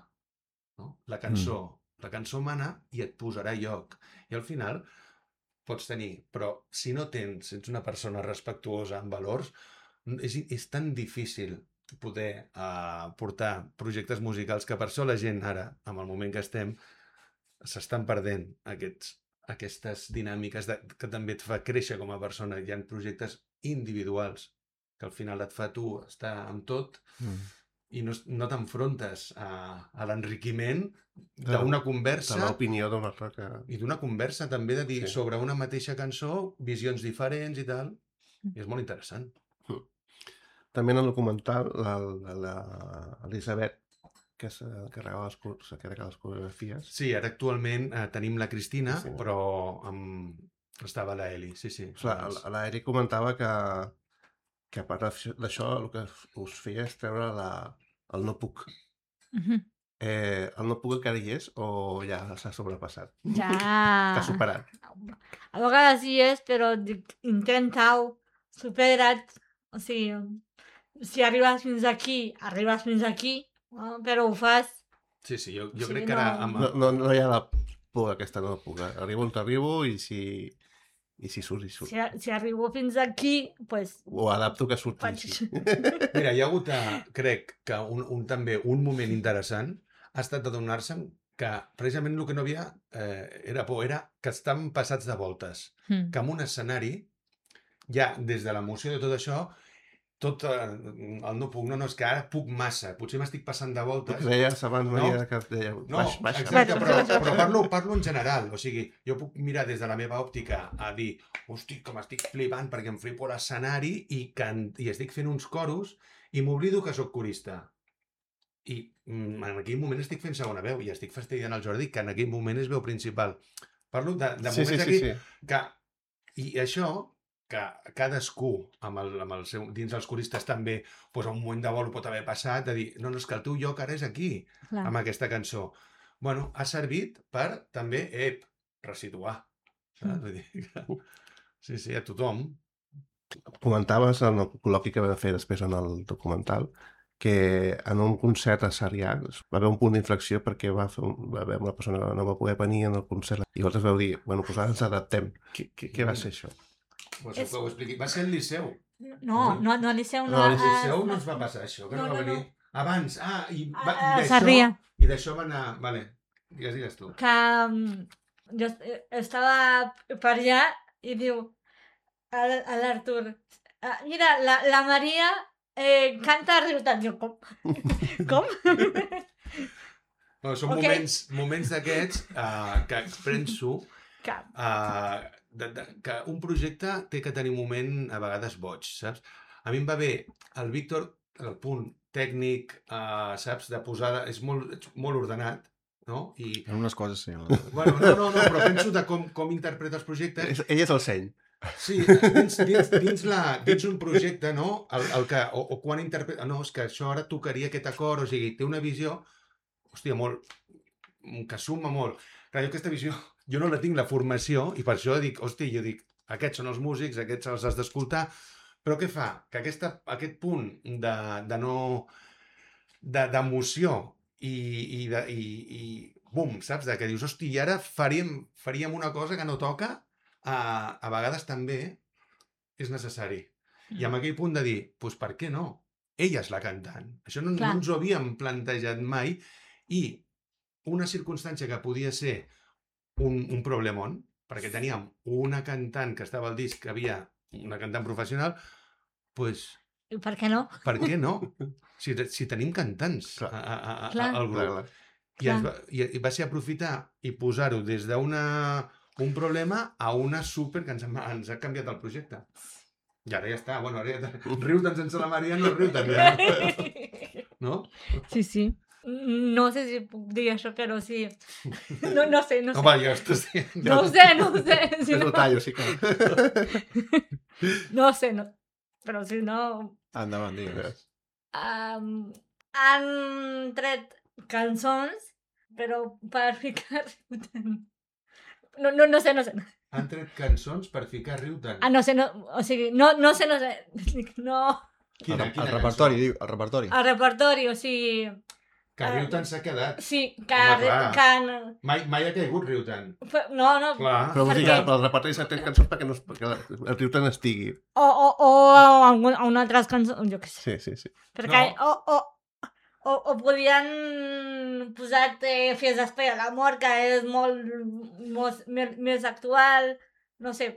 No? La cançó. Mm. La cançó mana i et posarà a lloc. I al final pots tenir, però si no tens, ets una persona respectuosa amb valors, és, és tan difícil poder uh, portar projectes musicals que per això la gent ara, amb el moment que estem, s'estan perdent aquests, aquestes dinàmiques de, que també et fa créixer com a persona. Hi ha projectes individuals que al final et fa tu estar amb tot Mm. i no, no t'enfrontes a, a l'enriquiment De- d'una De conversa l'opinió d'una altra que... i d'una conversa també de dir Sí. sí. sobre una mateixa cançó, visions diferents i tal. I és molt interessant. També en el documental, l'Elisabet, que s'encarregava les, cor- s'encarrega de les coreografies, Sí, ara actualment eh, tenim la Cristina, Cristina. però amb... estava la Eli, sí, sí. Clar, abans. la- l'Eric comentava que, que a part d'això- d'això el que us feia és treure la, el no puc. Mhm. Eh, el no puc encara hi és o ja s'ha sobrepassat? Ja... S'ha superat? A vegades hi és, però dic, intenta-ho, supera't. O sigui, si arribes fins aquí, arribes fins aquí, no? Però ho fas. Sí, sí, jo, jo Sí, crec que ara no- amb... No, no, no hi ha la por aquesta no puc. Arribo on t'arribo i si, i si surt, i surt. Si, si arribo fins aquí, pues, Ho adapto que surti faig... així. Mira, hi ha hagut, eh, crec, que un, un, també un moment interessant ha estat adonar-se que precisament el que no havia eh, era por, era que estan passats de voltes. Mm. Que en un escenari, ja des de l'emoció de tot això, tot eh, el no puc, no, no, és que ara puc massa, potser m'estic passant de El voltes. que deies abans, No. Maria, que deia, No, baix, baixa. exacte, baixa. però, però parlo, parlo en general. O sigui, jo puc mirar des de la meva òptica a dir, hosti, com estic flipant perquè em flipo l'escenari i, can... i estic fent uns coros i m'oblido que sóc corista. I mm, en aquell moment estic fent segona veu i estic fastidiant el Jordi, que en aquell moment és veu principal. Parlo de, de Sí, moments sí, sí, aquí sí. que... I això, que cadascú, amb el, amb el seu, dins els coristes també, doncs a un moment de vol pot haver passat, de dir, no, no, és que el teu lloc ara és aquí, Clar. amb aquesta cançó. Bueno, ha servit per també, ep, resituar. Saps? Vull dir que... Sí, sí, a tothom. Comentaves en el col·loqui que vam fer després en el documental que en un concert a Sarrià va haver un punt d'inflexió perquè va, fer un, va haver una persona que no va poder venir en el concert i vosaltres vau dir, bueno, doncs ara ens adaptem. Què, què, què va ser això? Pues És- que ho expliqui. Va ser el Liceu. No, no, no, al Liceu no. No, al Al a- Liceu no ens va passar això, que no, No, va no, venir. Abans, ah, i, va, A- a i d'això... Sarrià. I d'això va anar... Vale, digues, digues tu. Que mm, jo est- estava per allà i diu a, l- a l'Artur, "Ah, mira, la, la Maria eh, canta riu tant. Jo, com? Com? No, són Ok. moments, moments d'aquests uh, que penso Cap. uh, de, de, que un projecte té que tenir un moment a vegades boig, saps? A mi em va bé el Víctor, el punt tècnic, uh, saps, de posada, és molt, ets molt ordenat, no? I, En unes coses sí. en les- bueno, no, no, no, però penso de com, com interpreta els projectes. És- Ell és el seny. Sí, dins, dins, dins, la, dins un projecte, no? El, el que, o, o quan interpreta... No, és que això ara tocaria aquest acord, o sigui, té una visió, hòstia, molt... que suma molt. Clar, jo aquesta visió, jo no la tinc, la formació, i per això dic, hòstia, jo dic, aquests són els músics, aquests els has d'escoltar, però què fa? Que aquesta, aquest punt de, de no... de- d'emoció i, i, de, i, i bum, saps? De que dius, hosti, i ara faríem, faríem una cosa que no toca, a, a vegades també és necessari. I amb aquell punt de dir, doncs per què no? Ella és la cantant. Això no, no Clar. ens ho havíem plantejat mai i una circumstància que podia ser un, un problemon, perquè teníem una cantant que estava al disc, que havia una cantant professional, doncs I per què no? per què no? Si, si tenim cantants Clar. a, a, a, Clar. al Clar, grup. clar. I, ens va, i, i va ser aprofitar i posar-ho des d'una un problema a una super que ens ha, ens ha canviat el projecte. I ara ja està, bueno, ara ja riu tant sense la Maria, no riu tant ja. No? Sí, sí. No sé si puc dir això, però sí. No, no sé, no sé. Home, jo estàs dient... No ho sé, no ho sé. Si És no, el tallo, sí que... no sé, no. Però si no... Endavant, digues. Um, han tret cançons, però per ficar riu-te'n. No, no, no sé, no sé. Han tret cançons per ficar riu tant. Ah, no sé, no, o sigui, no, no sé, no sé. No. Quina, el, quina el repertori, cançó? diu, el repertori. El repertori, o sigui... Que riu tant s'ha quedat. Sí, que... Home, clar. que Mai, mai ha caigut riu tant. no, no. Clar. Però vull Per dir que què? el repertori s'ha tret cançons perquè, no, perquè el riu tant estigui. O, o, o a un- a una altra cançó, jo què sé. Sí, sí, sí. Perquè, No. o, o, o, o podien posar-te Fies d'Espera a l'amor, que és molt, molt més, més actual, no sé.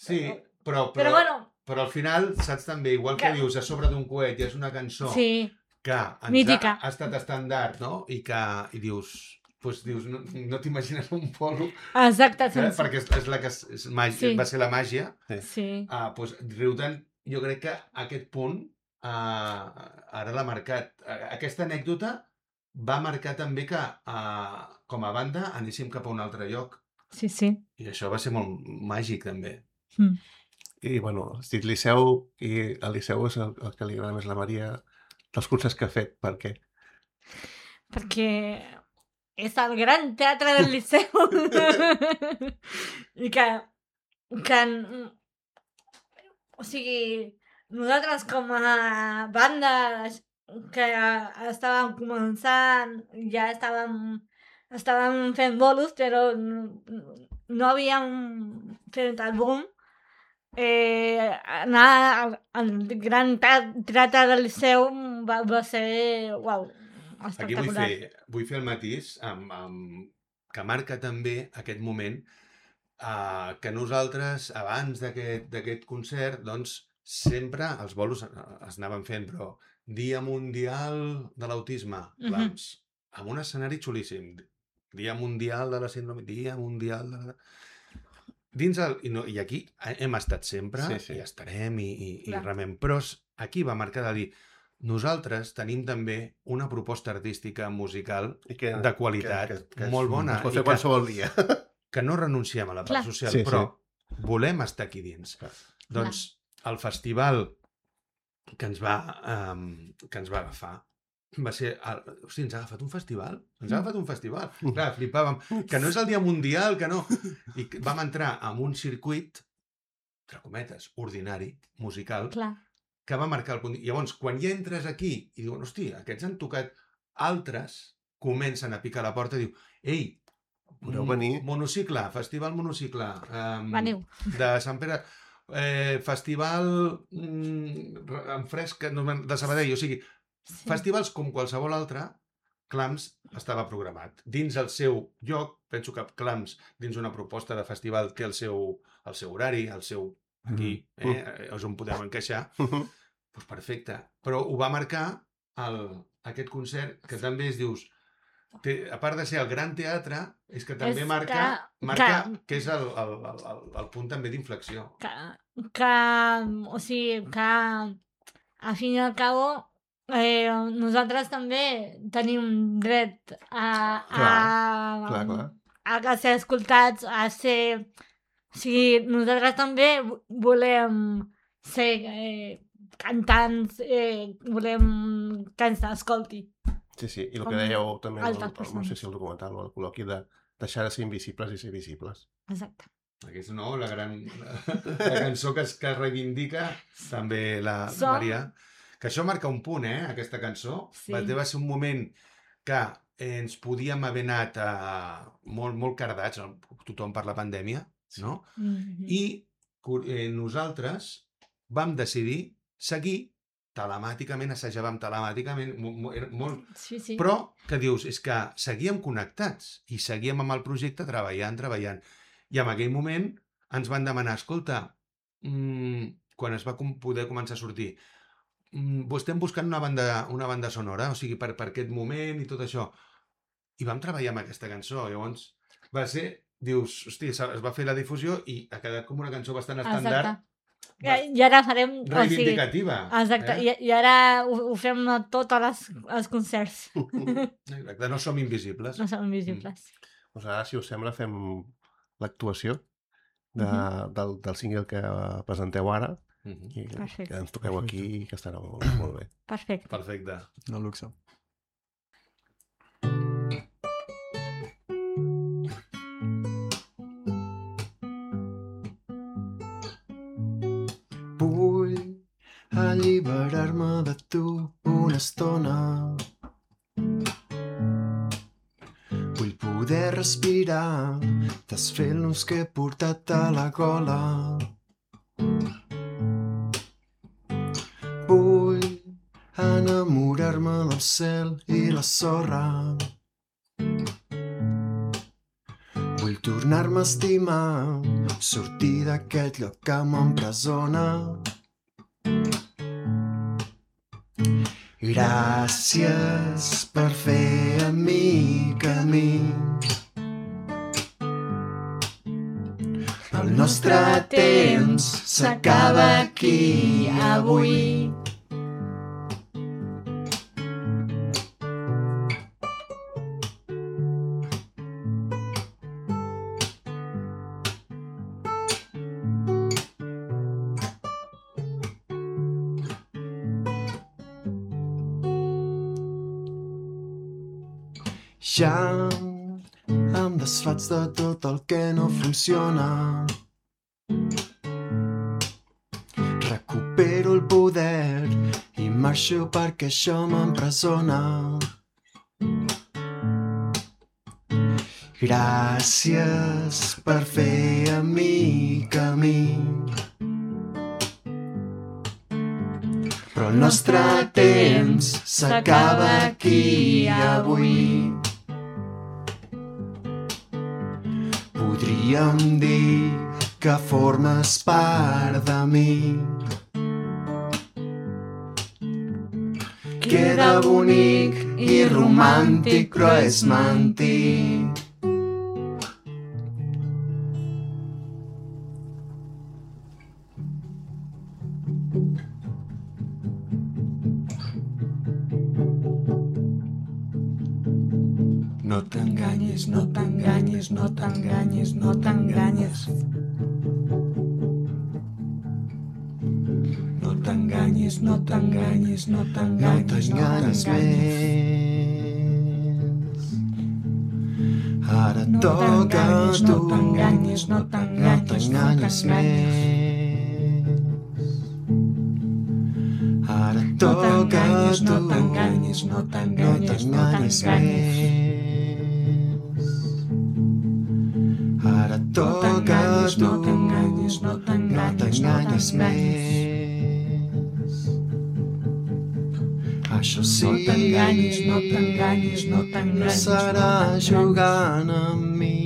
Sí, però, però, Però bueno, però al final, saps també, igual que Que- dius a sobre d'un coet i és una cançó sí, que ens Mítica. ha, ha estat estàndard, no? I que i dius, pues, dius no, no t'imagines un polo, exacte, eh? sense... perquè és, és la que és, és màgia, Sí. va ser la màgia. Sí, Ah, pues, Riutant, jo crec que aquest punt ah, ara l'ha marcat. Ah, Aquesta anècdota va marcar també que ah, com a banda anéssim cap a un altre lloc. sí, sí. I això va ser molt màgic també. Mm. I, bueno, estic Liceu, i el Liceu és el, el que li agrada més a la Maria dels cursos que ha fet. Per què? Perquè és el gran teatre del Liceu. I que, que... O sigui, nosaltres com a banda que estàvem començant, ja estàvem, estàvem fent bolos, però no, no havíem fet el boom. Eh, anar al, al gran te- teatre del Liceu va, va ser, uau, Aquí vull espectacular. fer, vull fer el matís amb, amb, que marca també aquest moment uh, que nosaltres, abans d'aquest d'aquest concert, doncs, sempre els bolos eh, es anaven fent, però Dia Mundial de l'Autisme, Mhm. clams, amb un escenari xulíssim. Dia Mundial de la Síndrome, Dia Mundial de la... Dins el, i, no, I aquí hem estat sempre, Sí, sí. i estarem, i, i, i Clar. remem. Però s- aquí va marcar de dir, nosaltres tenim també una proposta artística musical I que, de qualitat, molt bona, Es pot i fer que, qualsevol dia. que no renunciem a la part Clar. social, Sí, sí. però volem estar aquí dins. Clar. Doncs el festival que ens va, um, que ens va agafar va ser... El... Hosti, ens ha agafat un festival? Ens ha agafat un festival. Clar, flipàvem. Que no és el dia mundial, que no... I que vam entrar en un circuit, entre cometes, ordinari, musical, Clar, que va marcar el punt. Llavors, quan ja entres aquí i diuen, hosti, aquests han tocat, altres comencen a picar a la porta i diu, ei, Podeu mm, venir?" monocicle, festival monocicle, um, veniu. de Sant Pere, eh, festival mm, re- en fresc no, me'n- de Sabadell, o sigui, Sí. festivals com qualsevol altre, Clams estava programat. Dins el seu lloc, penso que Clams, dins una proposta de festival, té el seu, el seu horari, el seu aquí, eh, és on podem encaixar, doncs perfecte. Però ho va marcar el, aquest concert, que també es dius, a part de ser el gran teatre, és que també És marca, que- marca que- que és el, el, el, el, el punt també d'inflexió. Que, que, o sigui, que a fin i al cabo eh, nosaltres també tenim dret a, a, Clar, clar. a ser escoltats, a ser... O sigui, nosaltres també volem ser eh, cantants, eh, volem que ens escolti. Sí, sí, i el Com que dèieu també, el, altres el, no persones. sé si el documental o el col·loqui, de deixar de ser invisibles i ser visibles. Exacte. Aquesta, no? La gran la, la cançó que es, que es reivindica també la Som- Maria. Que això marca un punt, eh, aquesta cançó. Sí. Va, va ser un moment que eh, ens podíem haver anat a, molt, molt cardats, tothom per la pandèmia, no? Mm-hmm. I eh, nosaltres vam decidir seguir telemàticament, assajàvem telemàticament, mo, mo, era molt... Sí, sí. Però que dius, és que seguíem connectats i seguíem amb el projecte treballant, treballant. I en aquell moment ens van demanar, escolta, mmm, quan es va com poder començar a sortir, mmm, estem buscant una banda, una banda sonora, o sigui, per, per aquest moment i tot això. I vam treballar amb aquesta cançó, llavors va ser, dius, hosti, es va fer la difusió i ha quedat com una cançó bastant estàndard, I, I ara farem... reivindicativa. O sigui, exacte, eh? I, i ara ho, ho fem a tots els, els concerts. Exacte, no som invisibles. No som invisibles. Doncs ara, si us sembla, fem l'actuació de, Mhm. del, del single que presenteu ara Mhm. i Perfecte. que ens toqueu aquí i que estarà molt, molt bé. Perfecte. Perfecte. No luxe. Vull alliberar-me de tu una estona. Vull poder respirar, desfer el nus que he portat a la gola. Vull enamorar-me del cel i la sorra. Vull tornar-me a estimar, sortir d'aquest lloc que m'empresona. Gràcies per fer amb mi camí. El nostre temps s'acaba aquí avui. Ja em desfaig de tot el que no funciona. Recupero el poder i marxo perquè això m'empresona. Gràcies per fer amb mi camí. Però el nostre temps s'acaba aquí avui. Podríem dir que formes part de mi. Queda bonic i romàntic, però és mentir. No t'enganyis, no t'enganyis, no t'enganyis, no t'enganyis. No t'enganyis, no t'enganyis, no t'enganyis, no t'enganyis més. Ara toca a tu, no t'enganyis, no t'enganyis més. Ara toca a tu, no t'enganyis, no t'enganyis més. Ara toca a tu, no t'enganyis, no t'enganyis més. Això sí, no t'enganyis, no t'enganyis, no t'enganyis, no serà jugant amb mi.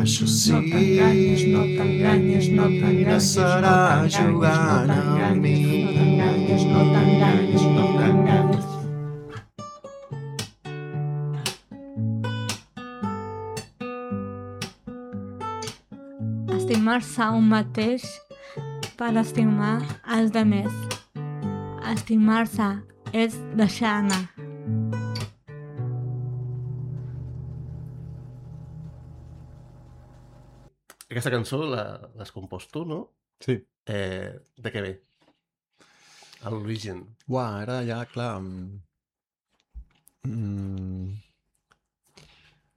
Això sí, no t'enganyis, no t'enganyis, no t'enganyis, no serà jugant amb mi. No t'enganyis, no t'enganyis, no t'enganyis. estimar-se un mateix per estimar els demés. Estimar-se és deixar anar. Aquesta cançó la- l'has compost tu, no? Sí. Eh, de què ve? A l'origen. Uah, ara ja, clar... mm, Mm,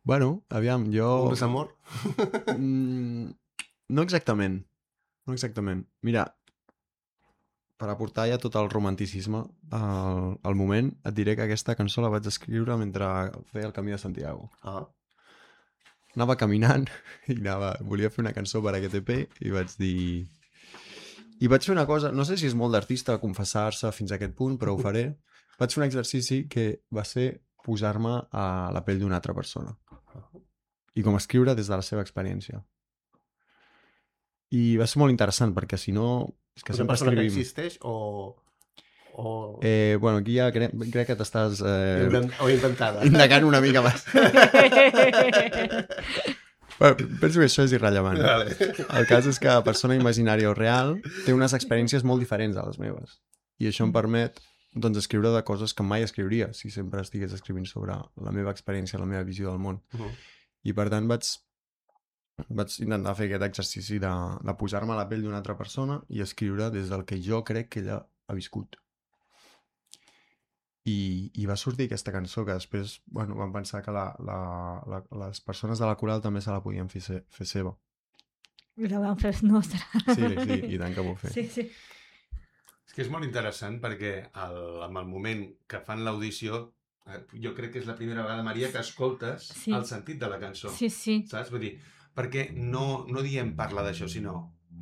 bueno, aviam, jo... Un desamor? Mm, no exactament. No exactament. Mira, per aportar ja tot el romanticisme al, al moment, et diré que aquesta cançó la vaig escriure mentre feia el Camí de Santiago. Ah. Anava caminant i anava, volia fer una cançó per aquest E P i vaig dir... I vaig fer una cosa, no sé si és molt d'artista confessar-se fins a aquest punt, però ho faré. Vaig fer un exercici que va ser posar-me a la pell d'una altra persona. I com escriure des de la seva experiència. I va ser molt interessant, perquè si no... És que Una sempre persona que escrivim... existeix o... o... Eh, bueno, aquí ja crec, crec que t'estàs... Eh, Invent... o inventada. indagant una mica més. Bueno, penso que això és irrellevant. Vale. El cas és que la persona imaginària o real té unes experiències molt diferents a les meves. I això em permet doncs, escriure de coses que mai escriuria si sempre estigués escrivint sobre la meva experiència, la meva visió del món. Uh -huh. I per tant vaig, vaig intentar fer aquest exercici de, de posar-me a la pell d'una altra persona i escriure des del que jo crec que ella ha viscut. I, i va sortir aquesta cançó que després bueno, vam pensar que la, la, la, les persones de la coral també se la podien fer, se, fer seva. I la vam fer nostra. Sí, sí, i tant que ho fer. Sí, sí. És que és molt interessant perquè el, amb el moment que fan l'audició, eh, jo crec que és la primera vegada, Maria, que escoltes Sí. el sentit de la cançó. Sí, sí. Saps? Vull dir, perquè no, no diem parla d'això, sinó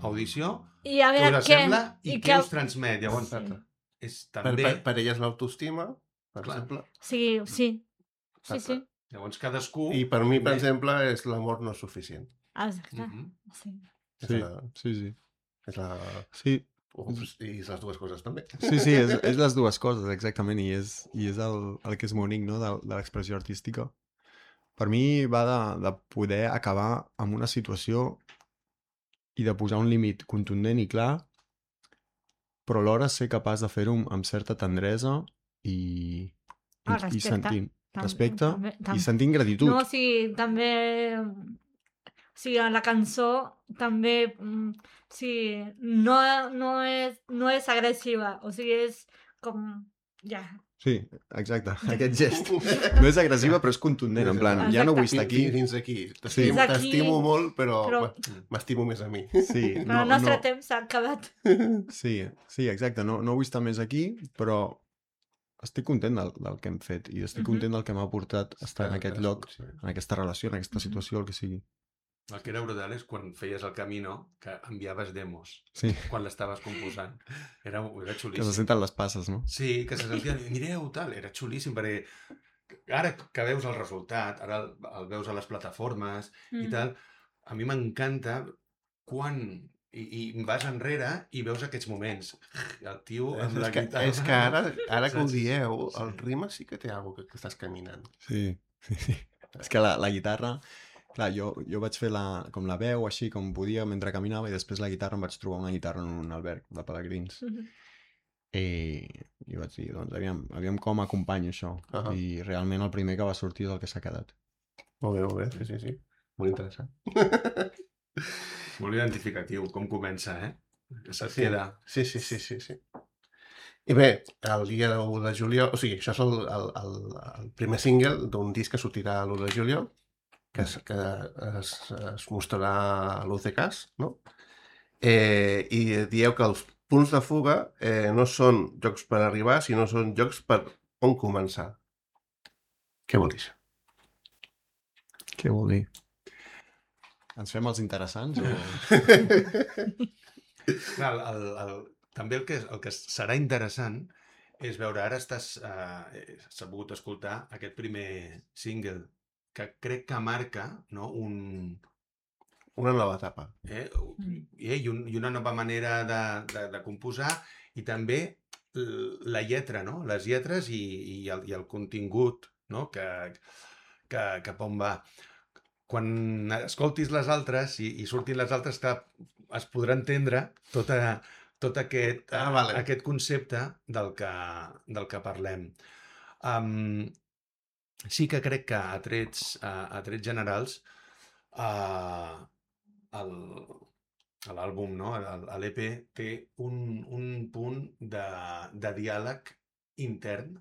audició, I a què veure us què... sembla i, i què us transmet. Llavors, Exacte. és Per, també... per, per ella és l'autoestima, per Clar. exemple. Sí, sí. Sí, Exacte. sí. Llavors, cadascú... I per mi, per també- exemple, és l'amor no és suficient. Exacte. Mhm. Sí. És Sí, la, sí, sí. és la... Sí, Ups, i les dues coses també. sí, sí és, és les dues coses, exactament, i és, i és el, el que és bonic, no?, de, de l'expressió artística. Per mi va de, de poder acabar amb una situació i de posar un límit contundent i clar, però alhora ser capaç de fer-ho amb, amb certa tendresa i, i, Ah, i respecte. sentint Tam- respecte també- tam- i sentint gratitud. No, o sigui, també... O sigui, a la cançó també... mm, O sigui, no, no, és, no és agressiva. O sigui, és com... Ja. Sí, exacte, aquest gest. No és agressiva, però és contundent, en plan, ja no vull estar aquí. Fins aquí. Sí. T'estimo Fins aquí, t'estimo molt, però, però- però... m'estimo més a mi. Sí, Però no, el nostre no, temps s'ha acabat. sí, sí, exacte, no, no vull estar més aquí, però estic content del, del que hem fet i estic Mhm. content del que m'ha portat estar en aquest lloc, Sí. en aquesta relació, en aquesta situació, el que sigui. El que era brutal és quan feies el Camino, que enviaves demos, Sí, quan l'estaves composant. Era, era que xulíssim. se senten les passes, no? Sí, que se sentien, mireu, tal, era xulíssim, perquè ara que veus el resultat, ara el, el veus a les plataformes i Mm. tal, a mi m'encanta quan... I, I vas enrere i veus aquests moments. El tio amb la És que, guitarra... és que ara, ara que ho Saps? dieu, Sí. el rima sí que té alguna cosa que, que estàs caminant. Sí, sí, sí. És que la, la guitarra... Clar, jo, jo vaig fer la, com la veu així com podia mentre caminava i després la guitarra em vaig trobar una guitarra en un alberg de pelegrins. Mhm. I, i vaig dir, doncs, aviam, aviam com acompanyo això. Ahà. I realment el primer que va sortir és el que s'ha quedat. Molt bé, molt bé, sí, sí, sí. Molt interessant. Molt identificatiu, com comença, eh? Que se't Sí. queda... Sí, sí, sí, sí, sí. I bé, el dia l'u de juliol, o sigui, això és el, el, el, el primer single d'un disc que sortirà l'u de juliol, que, es, que es, es mostrarà a l'U C Cas, no? Eh, I dieu que els punts de fuga eh, no són jocs per arribar, sinó són jocs per on començar. Què vol dir això? Què vol dir? Ens fem els interessants o...? Clar, el, el, el, també el que, el que serà interessant és veure, ara estàs, eh, s'ha pogut escoltar aquest primer single que crec que marca, no, un, Una nova etapa. eh, eh, i, un, i una nova manera de, de, de composar i també l- la lletra, no? Les lletres i, i, el, i el contingut, no? Que, que cap on va. quan escoltis les altres i, i surtin les altres, que es podrà entendre tota, tot aquest, Ah, vale. aquest concepte del que, del que parlem. Um, sí que crec que a trets, a, a trets generals uh, l'àlbum, no? l'E P, té un, un punt de, de diàleg intern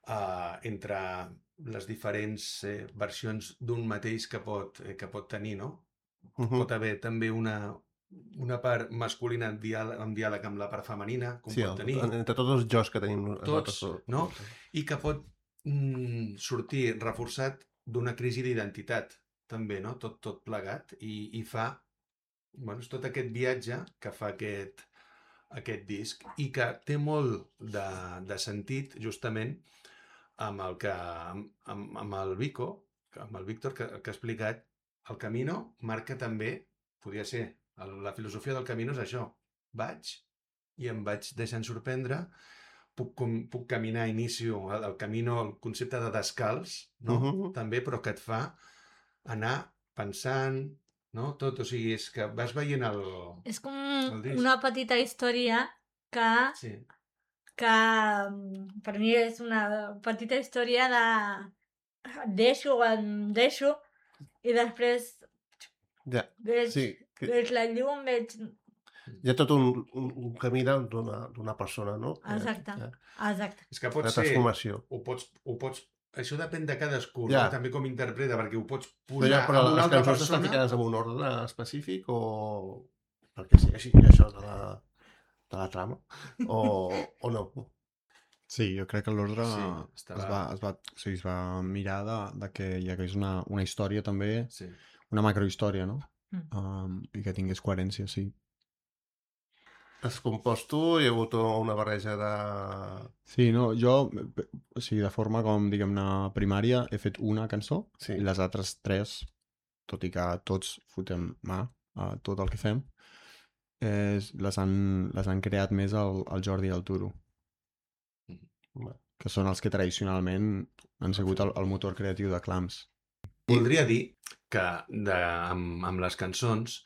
uh, entre les diferents eh, versions d'un mateix que pot, eh, que pot tenir, no? Uh -huh. Pot haver també una, una part masculina en diàleg, en diàleg amb la part femenina, com Sí, pot el, tenir. entre tots els jocs que tenim Tots, nosaltres. no? I que pot mm, sortir reforçat d'una crisi d'identitat, també, no? Tot, tot plegat, i, i fa, bueno, és tot aquest viatge que fa aquest, aquest disc, i que té molt de, de sentit, justament, amb el que, amb, amb el Vico, amb el Víctor, que, que ha explicat, el Camino marca també, podria ser, la filosofia del Camino és això, vaig i em vaig deixant sorprendre, puc, com, puc caminar, inicio el, el Camino, el concepte de descalç, no? Uh -huh. També, però que et fa anar pensant, no? Tot, o sigui, és que vas veient el... És com el una petita història que, sí. que per mi és una petita història de deixo, em deixo, i després Ja, veig, sí. Que... veig la llum, veig... Hi ha tot un, un, un camí d'una persona, no? Exacte, Ja. exacte. És que pot La ser... transformació. Ho pots, ho pots... Això depèn de cadascú, Ja. no? També com interpreta, perquè ho pots Però, posar ja, però amb una les altra cançons persona... estan ficades en un ordre específic o... perquè sí, així això de la, de la trama? O, o no? Sí, jo crec que l'ordre Sí, es, estava- va, es, va, o sigui, es va mirar de, de que hi hagués una, una història també, Sí. una macrohistòria, no? Mm. Um, I que tingués coherència, sí. Has compost tu? Hi ha hagut una barreja de... Sí, no, jo, eh, o sigui, de forma com, diguem-ne, primària, he fet una cançó, Sí. i les altres tres, tot i que tots fotem mà a tot el que fem, és, les, han, les han creat més el, el Jordi i el Turo, Va. que són els que tradicionalment han sigut el, el motor creatiu de Clams. Voldria dir que de, amb, amb les cançons,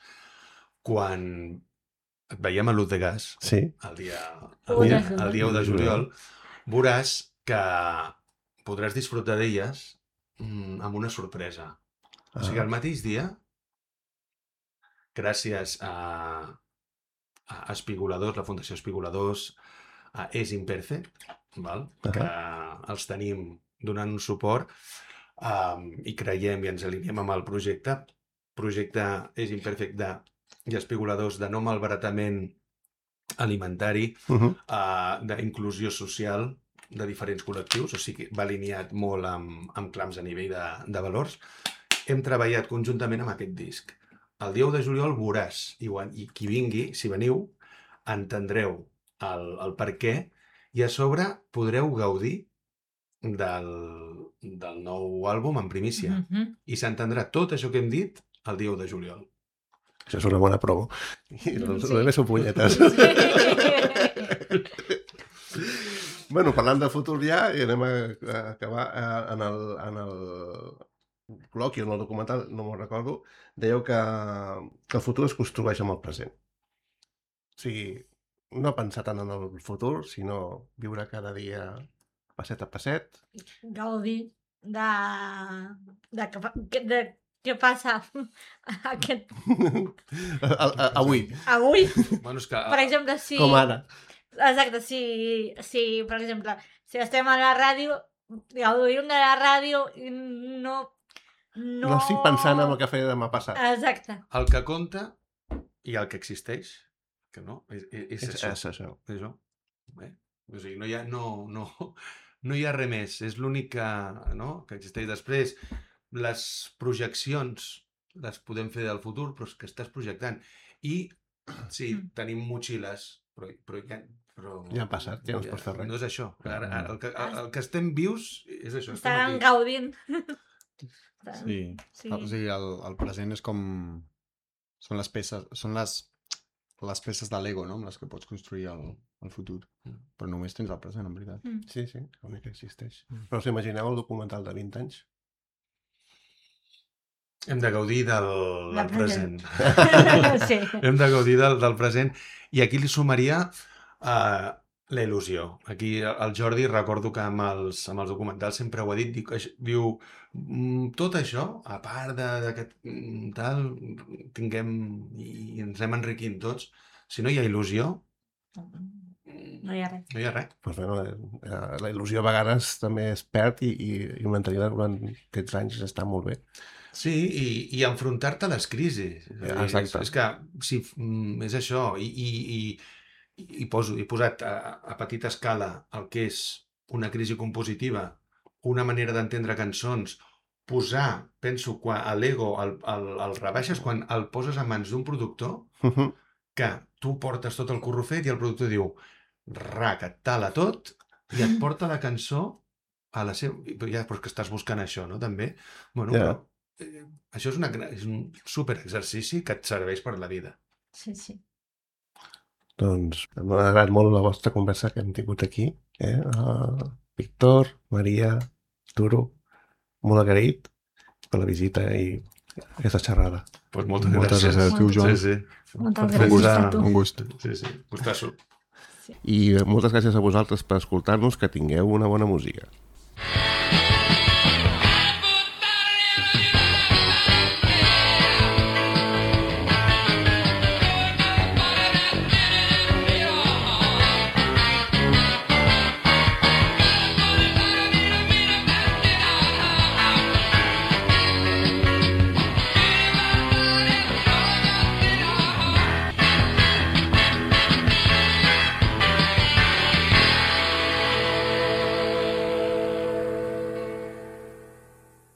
quan et veiem a l'Ut de Gas, Sí. el dia, U el, de dia, juliol. el dia u de juliol, veuràs que podràs disfrutar d'elles mm, amb una sorpresa. O sigui, el mateix dia, gràcies a, a Espigoladors, la Fundació Espigoladors, a És Imperfect, val? que els tenim donant un suport um, i creiem i ens alineem amb el projecte. Projecte És Imperfect de, i Espigoladors de no malbaratament alimentari, Uh -huh. uh, d'inclusió social de diferents col·lectius, o sigui, va alineat molt amb, amb Clams a nivell de, de valors. Hem treballat conjuntament amb aquest disc. El dia u de juliol veuràs, i, ho- i qui vingui, si veniu, entendreu el, el per què, i a sobre podreu gaudir del, del nou àlbum en primícia. Mm -hmm. I s'entendrà tot això que hem dit el dia u de juliol. Això és una bona promo. I els Sí. sí. són punyetes. Bueno, parlant de futur ja, i anem a, a acabar eh, en el, en el col·loqui, en el documental, no me'n recordo, dèieu que, que el futur es construeix amb el present. O sigui, no pensar tant en el futur, sinó viure cada dia passet a passet. Gaudir de, de, que, fa- que- de què passa aquest... a, a, avui, avui. Bueno, és que... Per exemple, si... com ara. Exacte, si, si, per exemple, si estem a la ràdio, gaudim de la ràdio i no... No, No estic pensant en el que faré demà passat. Exacte. El que compta i el que existeix, que no, és, és, és, És, això. és això. És això. Bé, o sigui, no hi ha, no, no, no hi ha res més. És l'únic que, no, que existeix. Després, les projeccions les podem fer del futur, però és que estàs projectant. I, sí, Mm. tenim motxilles, però, però, ja, però Ja ha passat, ja no es pot fer res. No és això. Ara, ara, el, que, el, el que estem vius és això. estem Estaran aquí. gaudint. Sí. Sí. O sigui, el, el present és com... Són les peces, són les, les peces de Lego, no?, amb les que pots construir el, el futur. Però només tens el present, en veritat. Mm. Sí, sí, l'únic que existeix. Però us imagineu el documental de vint anys? Hem de gaudir del, La del present. present. Sí. Hem de gaudir del, del present. I aquí li sumaria uh, la il·lusió. Aquí el Jordi, recordo que amb els, amb els documentals sempre ho ha dit, diu, diu "Mm, tot això, a part de- d'aquest mm, tal, tinguem i ens anem enriquint tots. Si no hi ha il·lusió, No hi ha res. no hi ha res. Pues, bueno, la, la il·lusió a vegades també es perd i, i, i mantenir-la durant aquests anys està molt bé. Sí, i, i enfrontar-te a les crisis. És, a dir, Exacte. És, és que, sí, mm, és això. I, i, i, i poso, he posat a, a petita escala el que és una crisi compositiva, una manera d'entendre cançons, posar, penso, quan a l'ego el, el, el rebaixes quan el poses a mans d'un productor, Mhm. que tu portes tot el curro fet i el productor diu rac, et tala tot i et porta la cançó a la seva... Ja, però és que estàs buscant això, no? També. Bueno, Ja. però eh, això és, una, gra- és un super exercici que et serveix per la vida. Sí, sí. Doncs m'ha agradat molt la vostra conversa que hem tingut aquí. Eh? Uh, Víctor, Maria, Arturo, molt agraït per la visita i aquesta xerrada. Pues moltes, Moltes gràcies. gràcies a tu, Joan. Sí, sí. Moltes Per gràcies posar- a tu. Un gust. Sí, sí. Gustasso. I moltes gràcies a vosaltres per escoltar-nos, que tingueu una bona música.